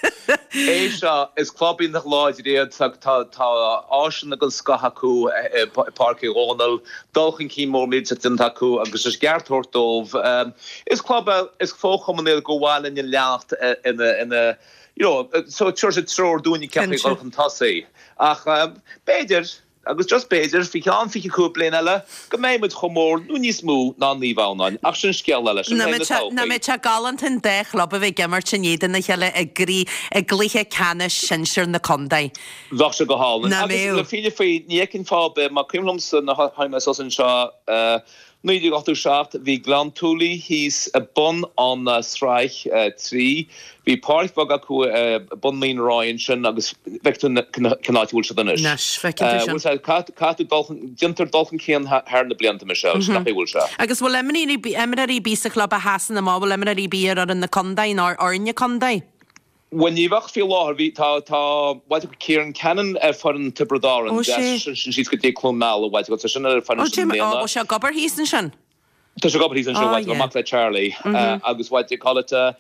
É seo, is club iontach láidir iad, tá tá áiseanna den scoth acu i Páirc Uí Dhónaill, dul chun cinn mór millteach déanta acu agus is ceart tabhairt dóibh. Is club é, is fo-chumann iad gur mhaith linn a leanacht ina ina you know, so tabharfaidh siad treoir dúinne cén chaoi dul chun tosaigh. Ach b'fhéidir, agus just b'fhéidir, faoi cheann 25 bliain eile, go mbeidh muid chomh mór nó níos mó ná Naomh Adhamhnáin. Ach sin scéal eile, sin le haghaidh na todhchaí. Nach mbeadh sé galánta an dá chlub a bheith ag imirt in éadan a chéile i gcroí, i gcluiche ceannais sinsir na contae. Bheadh sé go hálainn. Nach Agus mbeadh? le fírinne faoi, ní fheicfinn fáth ar bith, má cuimhin liomsa nuair a tháinig mé suas anseo, 1987, bhí Gleann tSúilí thíos i bun an sraith 3. Bhí páirc bheag acu i bun Mín Ráidhe ansin agus bhfeiceann tú cén áit a bhfuil siad anois. Anois, feiceann tú sin. Bhfuil sé, caithfidh tú dul chun, déantar dul chun cinn thar na blianta, Michelle, sin an chaoi a bhfuil sé. Agus bhfuil imreoirí ar bith sa chlub a sheasann amach, bhfuil imreoirí ar bith ar fhoireann na contae nó ar fhoirne contae? Bhuel, ní bheadh faoi láthair. Bhí, tá, tá, what, Kieran Cannon ar foireann Tiobraid Árann. Ó, sé. Sin síos go dtí Cluain Meala, what, tá sin ar foireann Ó, sin i Jim, ó, mbliana. bhfuil sé ag obair thíos ansin? Tá sé ag obair thíos ansin, Ó, what, yeah. mac le Charlie. Agus what do you call it, thar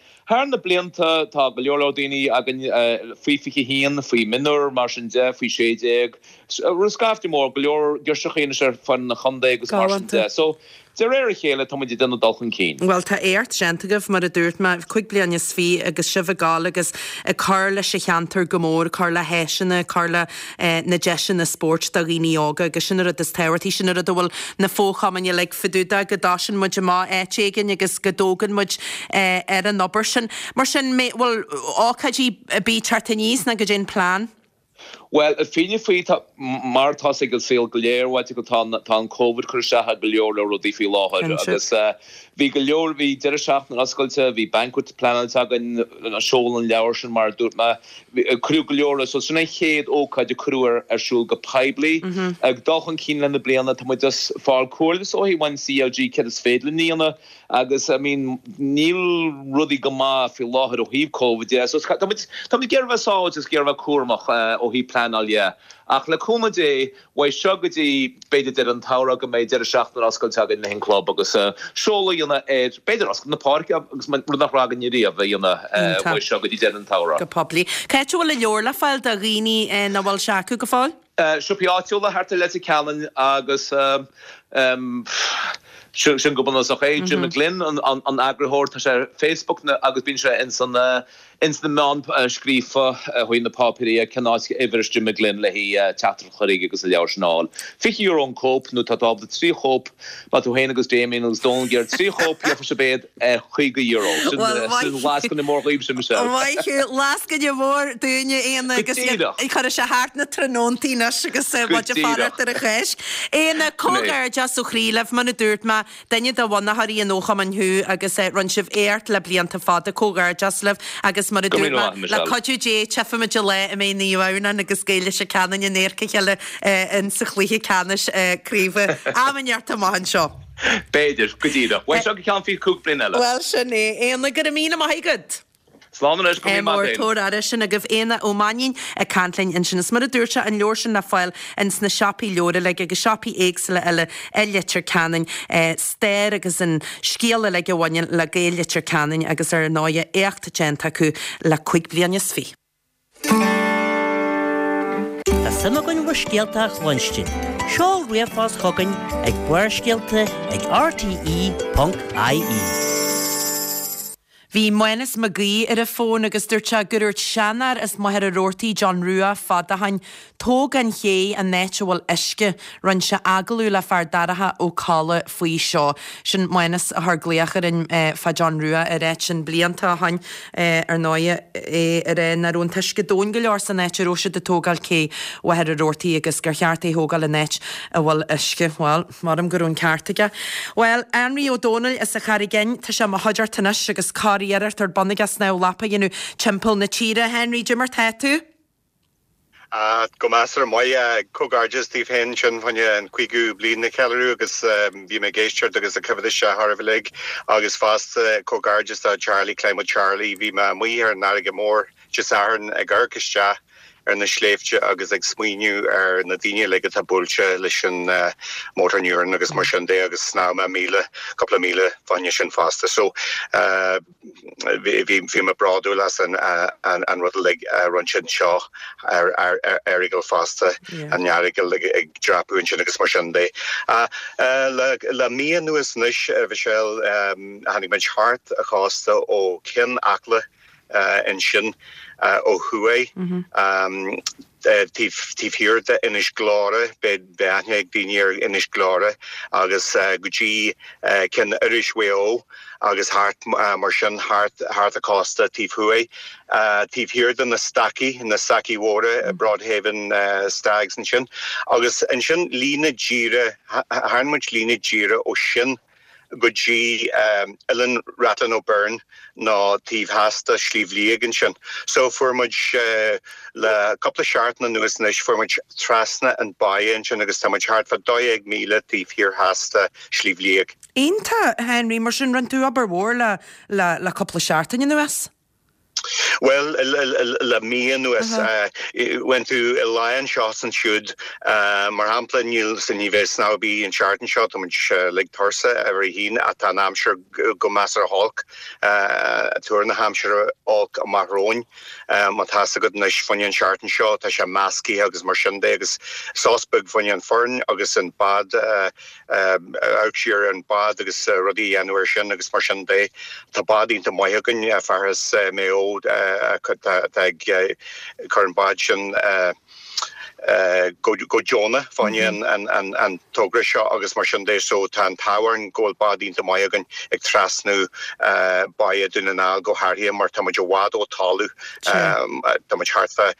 na blianta tá go leor leor daoine againn faoi 21, faoi mionúir, mar sin de, faoi 16. Scaifte mór, go leor girseachaí anois ar foireann an chontae agus mar sin Galánta. de. So. De réir a chéile, tá muid ag déanamh dul chun cinn. Bhuel, tá éacht déanta agaibh, mar a dúirt mé, 25 bliain agus sibh ag gabháil agus ag cur leis an cheantar go mór, ag cur le háiseanna, ag cur le na deiseanna spóirt do dhaoine óga agus sin an rud is tábhachtaí, sin an rud a bhfuil na fo-chumainn uilig fá dtaobh de, go dtosaíonn muid amach áit éigin agus go dtógann muid ar an obair sin. Mar sin, bhfuil ócáidí ar bith ag teacht aníos nó goidé an plean? Bhuel, fírinne faoi, tá, mar atá ag an saol go léir, bhuel, tá, tá an Covid ag cur isteach ar go leor leor rudaí faoi láthair agus bhí go leor, bhí deireadh seachtaine oscailte, bhí banquet pleanáilte againn, seoladh an leabhar sin mar a dúirt mé, cuireadh go leor, so sin an chéad ócáid a cuireadh ar, ar siúl go poiblí. Ag dul chun cinn le na bliana, tá muid just ag fáil comhairle is dóigh ón CLG céard is féidir linn a dhéanamh. Agus, I mean, níl rudaí go maith faoi láthair ó thaobh Covid de, so tá muid, tá muid ag iarraidh bheith sábháilte agus ag iarraidh bheith cúramach ó thaobh pleanáil dhe. Ach le cúnamh Dé, uaidh seo go dtí b'fhéidir deireadh an tsamhraidh go mbeidh deireadh seachtaine oscailte againn le an club agus seoladh a dhéanamh ar, b'fhéidir oscailt na páirce agus rud nach raibh againn riamh a dhéanamh uaidh seo go dtí deireadh an tsamhraidh. Go poiblí. Cá háit a bhfuil an leabhar le fáil do dhaoine nach bhfuil sé acu go fóill? Siopaí áitiúla thart ar Leitir Ceanainn agus sin go bunúsach é. Jim McGlynn an eagarthóir, tá sé ar Facebook agus bíonn sé ins na meáin scríofa chuig na páipéirí cén áit uimhir is Jim McGlynn le haghaidh teachtaireacht a chur chuige agus an leabhar sin a fháil. €20 an cóip nó tá tú ábalta 3 chóip, má tú féin agus Damien agus Dónal ag iarraidh 3 chóip gheobhaidh sibh iad ar €50. Sin Bhuel, lascaine mór dhaoibhse, Michelle. Maith thú, lascaine mhór dúinne, Éanna, Go agus díreach. cuirfidh sé thart na tráthnóntaí anois agus Go muid ag díreach. fanacht ar an Cháisc. Éanna, Sin é. comhghairdeas ó chroí libh, mar a dúirt mé, duine de bhunaitheoirí an fhochumainn thú agus rinne sibh éacht le blianta fada, comhghairdeas libh agus mar a Go dúirt míle mé, maith, le Michelle. cuidiú Dé, tchífimid an lá a mbeidh Naomh Adhamhnáin agus Gaeil Leitir Ceanainn in adharca a chéile in sa chluiche ceannais craoibhe. Am inteacht amach anseo. B'fhéidir, go díreach. Uaidh seo go ceann 25 bliain eile. Bhuel, sin é. Éanna, go raibh míle maith agat. Slán anois, go raibh míle maith Mór, tabhair aire, sin agaibh Éanna Ó Mainnín ag caint linn ansin. Is mar a dúirt sé, an leabhar sin le fáil ins na siopaí leabhar uilig agus siopaí éagsúla eile i Leitir Ceanainn. Stair agus an scéal uilig a bhaineann le Gaeil Leitir Ceanainn agus ar ndóighe éacht déanta acu le 25 bliain. Tá suim againn bhur scéalta a chluinstin. Seol ríomhphost chugainn ag Barrscéalta ag rte.ie. Bhí Mánas Mac Aoidh ar an bhfón agus dúirt sé gur dhúirt seanfhear as Machaire Rabhartaigh, John Rua, fada ó shoin, Tóg an ché an áit a bhfuil uisce. Rinne sé agallamh le Fear Darach Ó Colla faoi seo. Sin Mánas a chuir glaoch orainn fá John Rua ar áit sin blianta ó shoin. Ar ndóighe, é ag rá nach raibh an t-uisce domhain go leor san áit a raibh siad ag tógáil cé Mhachaire Rabhartaigh agus gur cheart é a thógáil in áit a bhfuil uisce. Bhuel, maram go raibh an ceart aige. Bhuel, Anraí Ó Dónaill as an Charraig Fhinn, tá sé i mo chuideachta anois agus curiarracht ar bun aige snámh lapa a dhéanamh timpeall na tíre. A Henry, goidé mar tá tú? Go measartha maith. Comhghairdeas daoibh féin ansin fá choinne an 50ú bliain a cheiliúradh agus bhí mé ag éisteacht agus ag coimhéad isteach oraibh uilig agus fosta comhghairdeas do Charlie, Climb with Charlie. Bhí mé amuigh ar an fharraige mhór Dé Sathairn ag amharc isteach ar na sléibhte agus ag smaoineamh ar na daoine uilig atá buailte leis an motor neuron agus mar sin de agus shnámh mé míle, cúpla míle fá choinne sin fosta. So. Bhí mé bródúil as an rud uilig a rinne siad anseo ar Earagail fosta, an Earagail ag dreapadh ansin agus mar sin de. Le mí anuas anois, a Mhichelle, tháinig muid thart an chósta ó Ceann Acla ansin ó thuaidh. Taobh thiar d'Inis Gluaire, beidh aithne ag daoine ar Inis Gluaire, agus go dtí Ceann Iorrais Mhaigh Eo agus thart mar sin, thart an cósta taobh thuaidh. Taobh thiar de na Stacaí, na Stacaí Mhóra, Broadhaven Stacks ansin. Agus ansin líne díreach, tharraing muid líne díreach ó sin go dtí Oileán Rathlin O'Byrne nó taobh theas de Shliabh Liag ansin. So fuair muid le cúpla seachtain anuas anois, fuair muid trasna an báighe ansin agus tá muid thart fá 12,000 taobh thiar theas de Shliabh Liag. Iontach, Henry, mar sin rinne tú obair mhór le le cúpla seachtain anuas. Bhuel, le mí anuas, bhain tú i lá anseo is ansiúd, mar shampla, níl, ní bheidh snámh ar bith an tseachtain seo, tá muid uilig tuirseach ar a haon ach tá an aimsir go measartha holc, tuar na haimsire olc amach romhainn. Má tá fhios agat anois fá choinne an tseachtain seo, tá sé meascaithe agus mar sin de agus sos beag fá choinne an foireann agus an bád, amharc siar ar an bád agus rudaí a dhéanamh air sin agus mar sin de. Tá bád iontach maith againn, fear as Maigh Eo atá ag cur an bád sin go deonach fá choinne an togra seo agus mar sin de. So tá an t-ádh orainn go bhfuil bád iontach maith againn ag trasnú báighe Dún na nGall go háirithe mar tá muid i bhfad ó talamh. Tá muid thart fá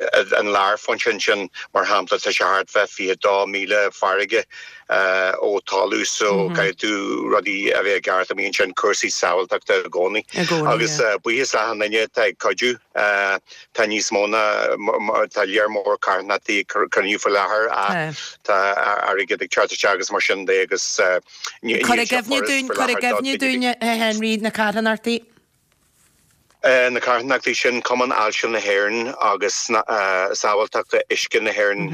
An lárphointe ansin, mar shampla, tá sé thart fá 22,000 farraige ó talamh so caithfidh tú rudaí a bheith i gceart amuigh ansin, cúrsaí sábháilteachta i gcónaí. Agus buíochas le achan duine atá ag cuidiú, tá níos mó ná, tá lear mór carthanachtaí ag cruinniú faoi láthair ach tá airgead ag teacht isteach agus mar sin de agus níl sé furast faoi láthair do. Cuir i gcuimhne dúinn, a Henry, na carthanachtaí. Na carthanachtaí sin, Cumann Ailse na hÉireann agus Sábháilteachta Uisce na hÉireann,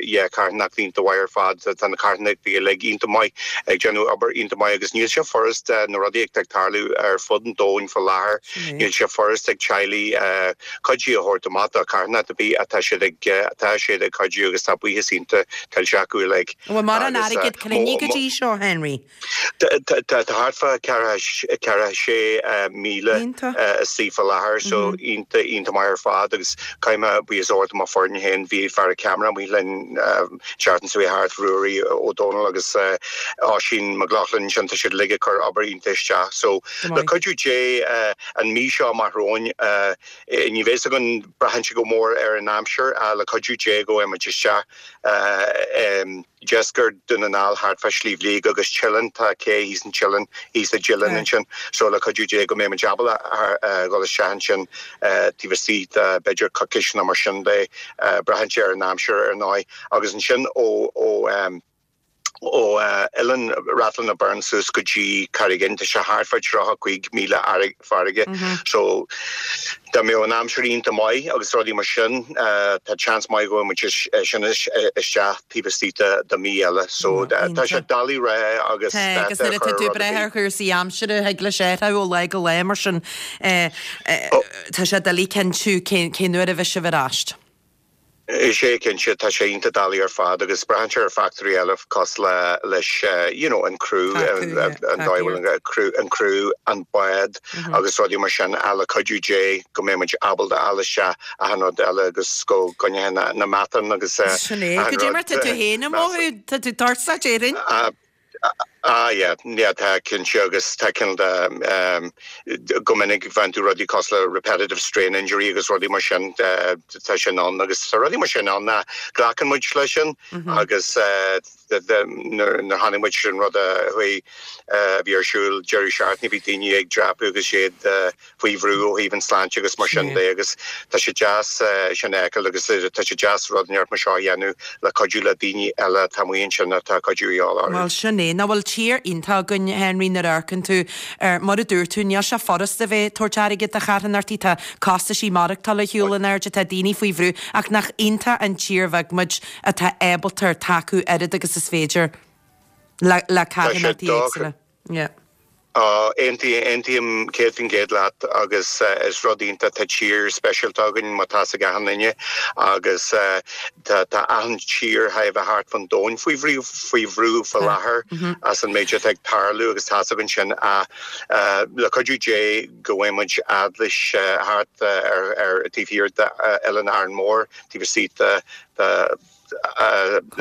yeah, carthanachtaí iontach mhaith ar fad. Tá na carthanachtaí uilig iontach maith, ag déanamh obair iontach maith agus níl sé furast na rudaí atá ag tarlú ar fud an domhain faoi láthair, níl sé furast ag teaghlaigh cuidiú a thabhairt amach do charthanacht ar bith ach tá siad ag, tá siad ag cuidiú agus tá buíochas iontach tuillte acu uilig. An bhfuil mórán airgead cruinnithe go dtí seo, Henry? Tá thart fá 46,000 istigh faoi láthair so iontach, iontach maith ar fad agus caithfidh mé buíochas a thabhairt do mo foireann féin, bhí fear ceamara amuigh linn seachtain seo thart, Ruairí Ó Dónaill agus Oisín McLaughlin ansin, tá siad uilig ag cur obair iontach isteach so le cuidiú Dé an mí seo amach romhainn ní bheidh a fhios againn, braitheann sé go mór ar an aimsir ach le cuidiú Dé go mbeidh muid isteach i deisceart Dún na nGall thart fá Sliabh Liag agus Teileann, tá cé thíos in Teileann, thíos i dTeileann ansin so le cuidiú Dé go mbeidh muid ábalta dhul isteach ansin taobh istigh de b'fhéidir coicís nó mar sin de, braitheann sé ar an aimsir ar ndóigh agus ansin ó ó ó Oileán Rathlin na Boirne suas go dtí Carraig Fhinn tá sé thart fá 35 míle farraige so dá mbeadh an aimsir iontach maith agus rudaí mar sin tá seans maith go bhfuil muid sin isteach taobh istigh de mí eile so tá sé doiligh a rá agus Tá agus nuair atá tú ag brath ar chúrsaí aimsire thig leis athrú ó lá go lá mar sin tá sé doiligh cinntiú cén uair a bheidh sibh ar ais. Is é, cinnte, tá sé iontach doiligh ar fad agus braitheann sé ar fachtóirí eile cosúil le, leis you know an criú, an dóigh a bhfuil an criú, an criú, an bád agus rudaí mar sin ach le cuidiú Dé go mbeidh muid ábalta a fháil isteach achan rud eile agus go gcoinneoidh na, na meatáin agus Sin é. achan Goidé mar tá tú féin ag mothú, tá tú tuirseach déarfainn. Ah yeah, yeah tá cinnte agus tá cineál de go minic faigheann tú rudaí cosúil le repetitive strain injury agus rudaí mar sin tá sin ann agus tá rudaí mar sin ann ach glacann muid leis sin agus nuair a chonaic muid an rud a chuaigh a bhí ar siúl deireadh seachtaine bhí daoine ag dreapadh agus iad faoi bhrú ó thaobh an sláinte agus mar sin de agus tá sé deas sin a fheiceáil agus tá sé deas rud inteacht mar seo a dhéanamh le cuidiú le daoine eile atá amuigh ansin atá cuidiú a dhíobháil orthu. Bhuel, sin é. Nach bhfuil tír iontach againn, Henry, nuair a amharcann tú ar, mar a dúirt tú, níl sé furast a bheith ag tabhairt airgid do charthanachtaí, tá costaisí maireachtála ar shiúl in airde, tá daoine faoi bhrú, ach nach iontach an tír bheag muid atá ábalta tacú oiread agus is féidir le le carthanachtaí éagsúla. Yeah. Aontaím 100% leat agus is rud iontach, tá tír speisialta againn mar tá's ag achan duine agus tá achan tír chóir a bheith thart fán domhan faoi bhrú faoi bhrú faoi láthair as an méid atá ag tarlú agus tá's againn sin ach le cuidiú Dé go bhfaighidh muid fhad leis thart ar ar taobh thiar d'Oileán Árainn Mhór taobh istigh de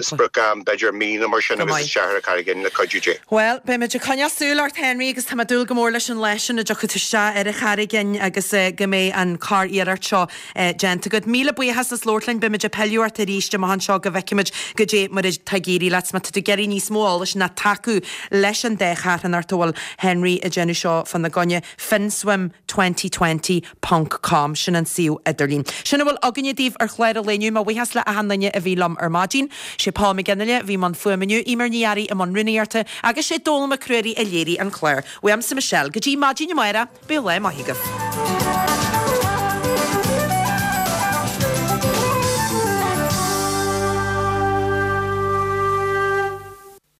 sprioc-am, b'fhéidir mí nó mar sin agus isteach ar an Charraig Fhinn le cuidiú Dé. Bhuel, beidh muid ag coinneáil súil ort, Henry, agus tá mé ag dúil go mór leis an lá sin a dtiocfaidh tú isteach ar an Charraig Fhinn agus go mbeidh an curiarracht seo déanta agat. Míle buíochas as labhairt linn. Beidh muid ag pilleadh ort arís amach anseo go bhfeicfimid goidé mar atá ag éirí leat. Má tá tú ag iarraidh níos mó eolais ná tacú leis an dá charthanacht a bhfuil Henry ag déanamh seo fána gcoinne, Finswim 2020. ponc com, sin an suíomh idirlín. Sin a bhfuil againne daoibh ar chlár an lae inniu. Mo bhuíochas le achan duine a bhí liom ar maidin. Sé Paul McGinley a bhí i mbun fuaime inniu, Eimear Ní Fhearraigh i mbun rúnaíochta agus sé Dónal Mac Ruairí a léirigh an clár. Uaimse Michelle, go dtí maidin amárach, bíodh lá maith agaibh.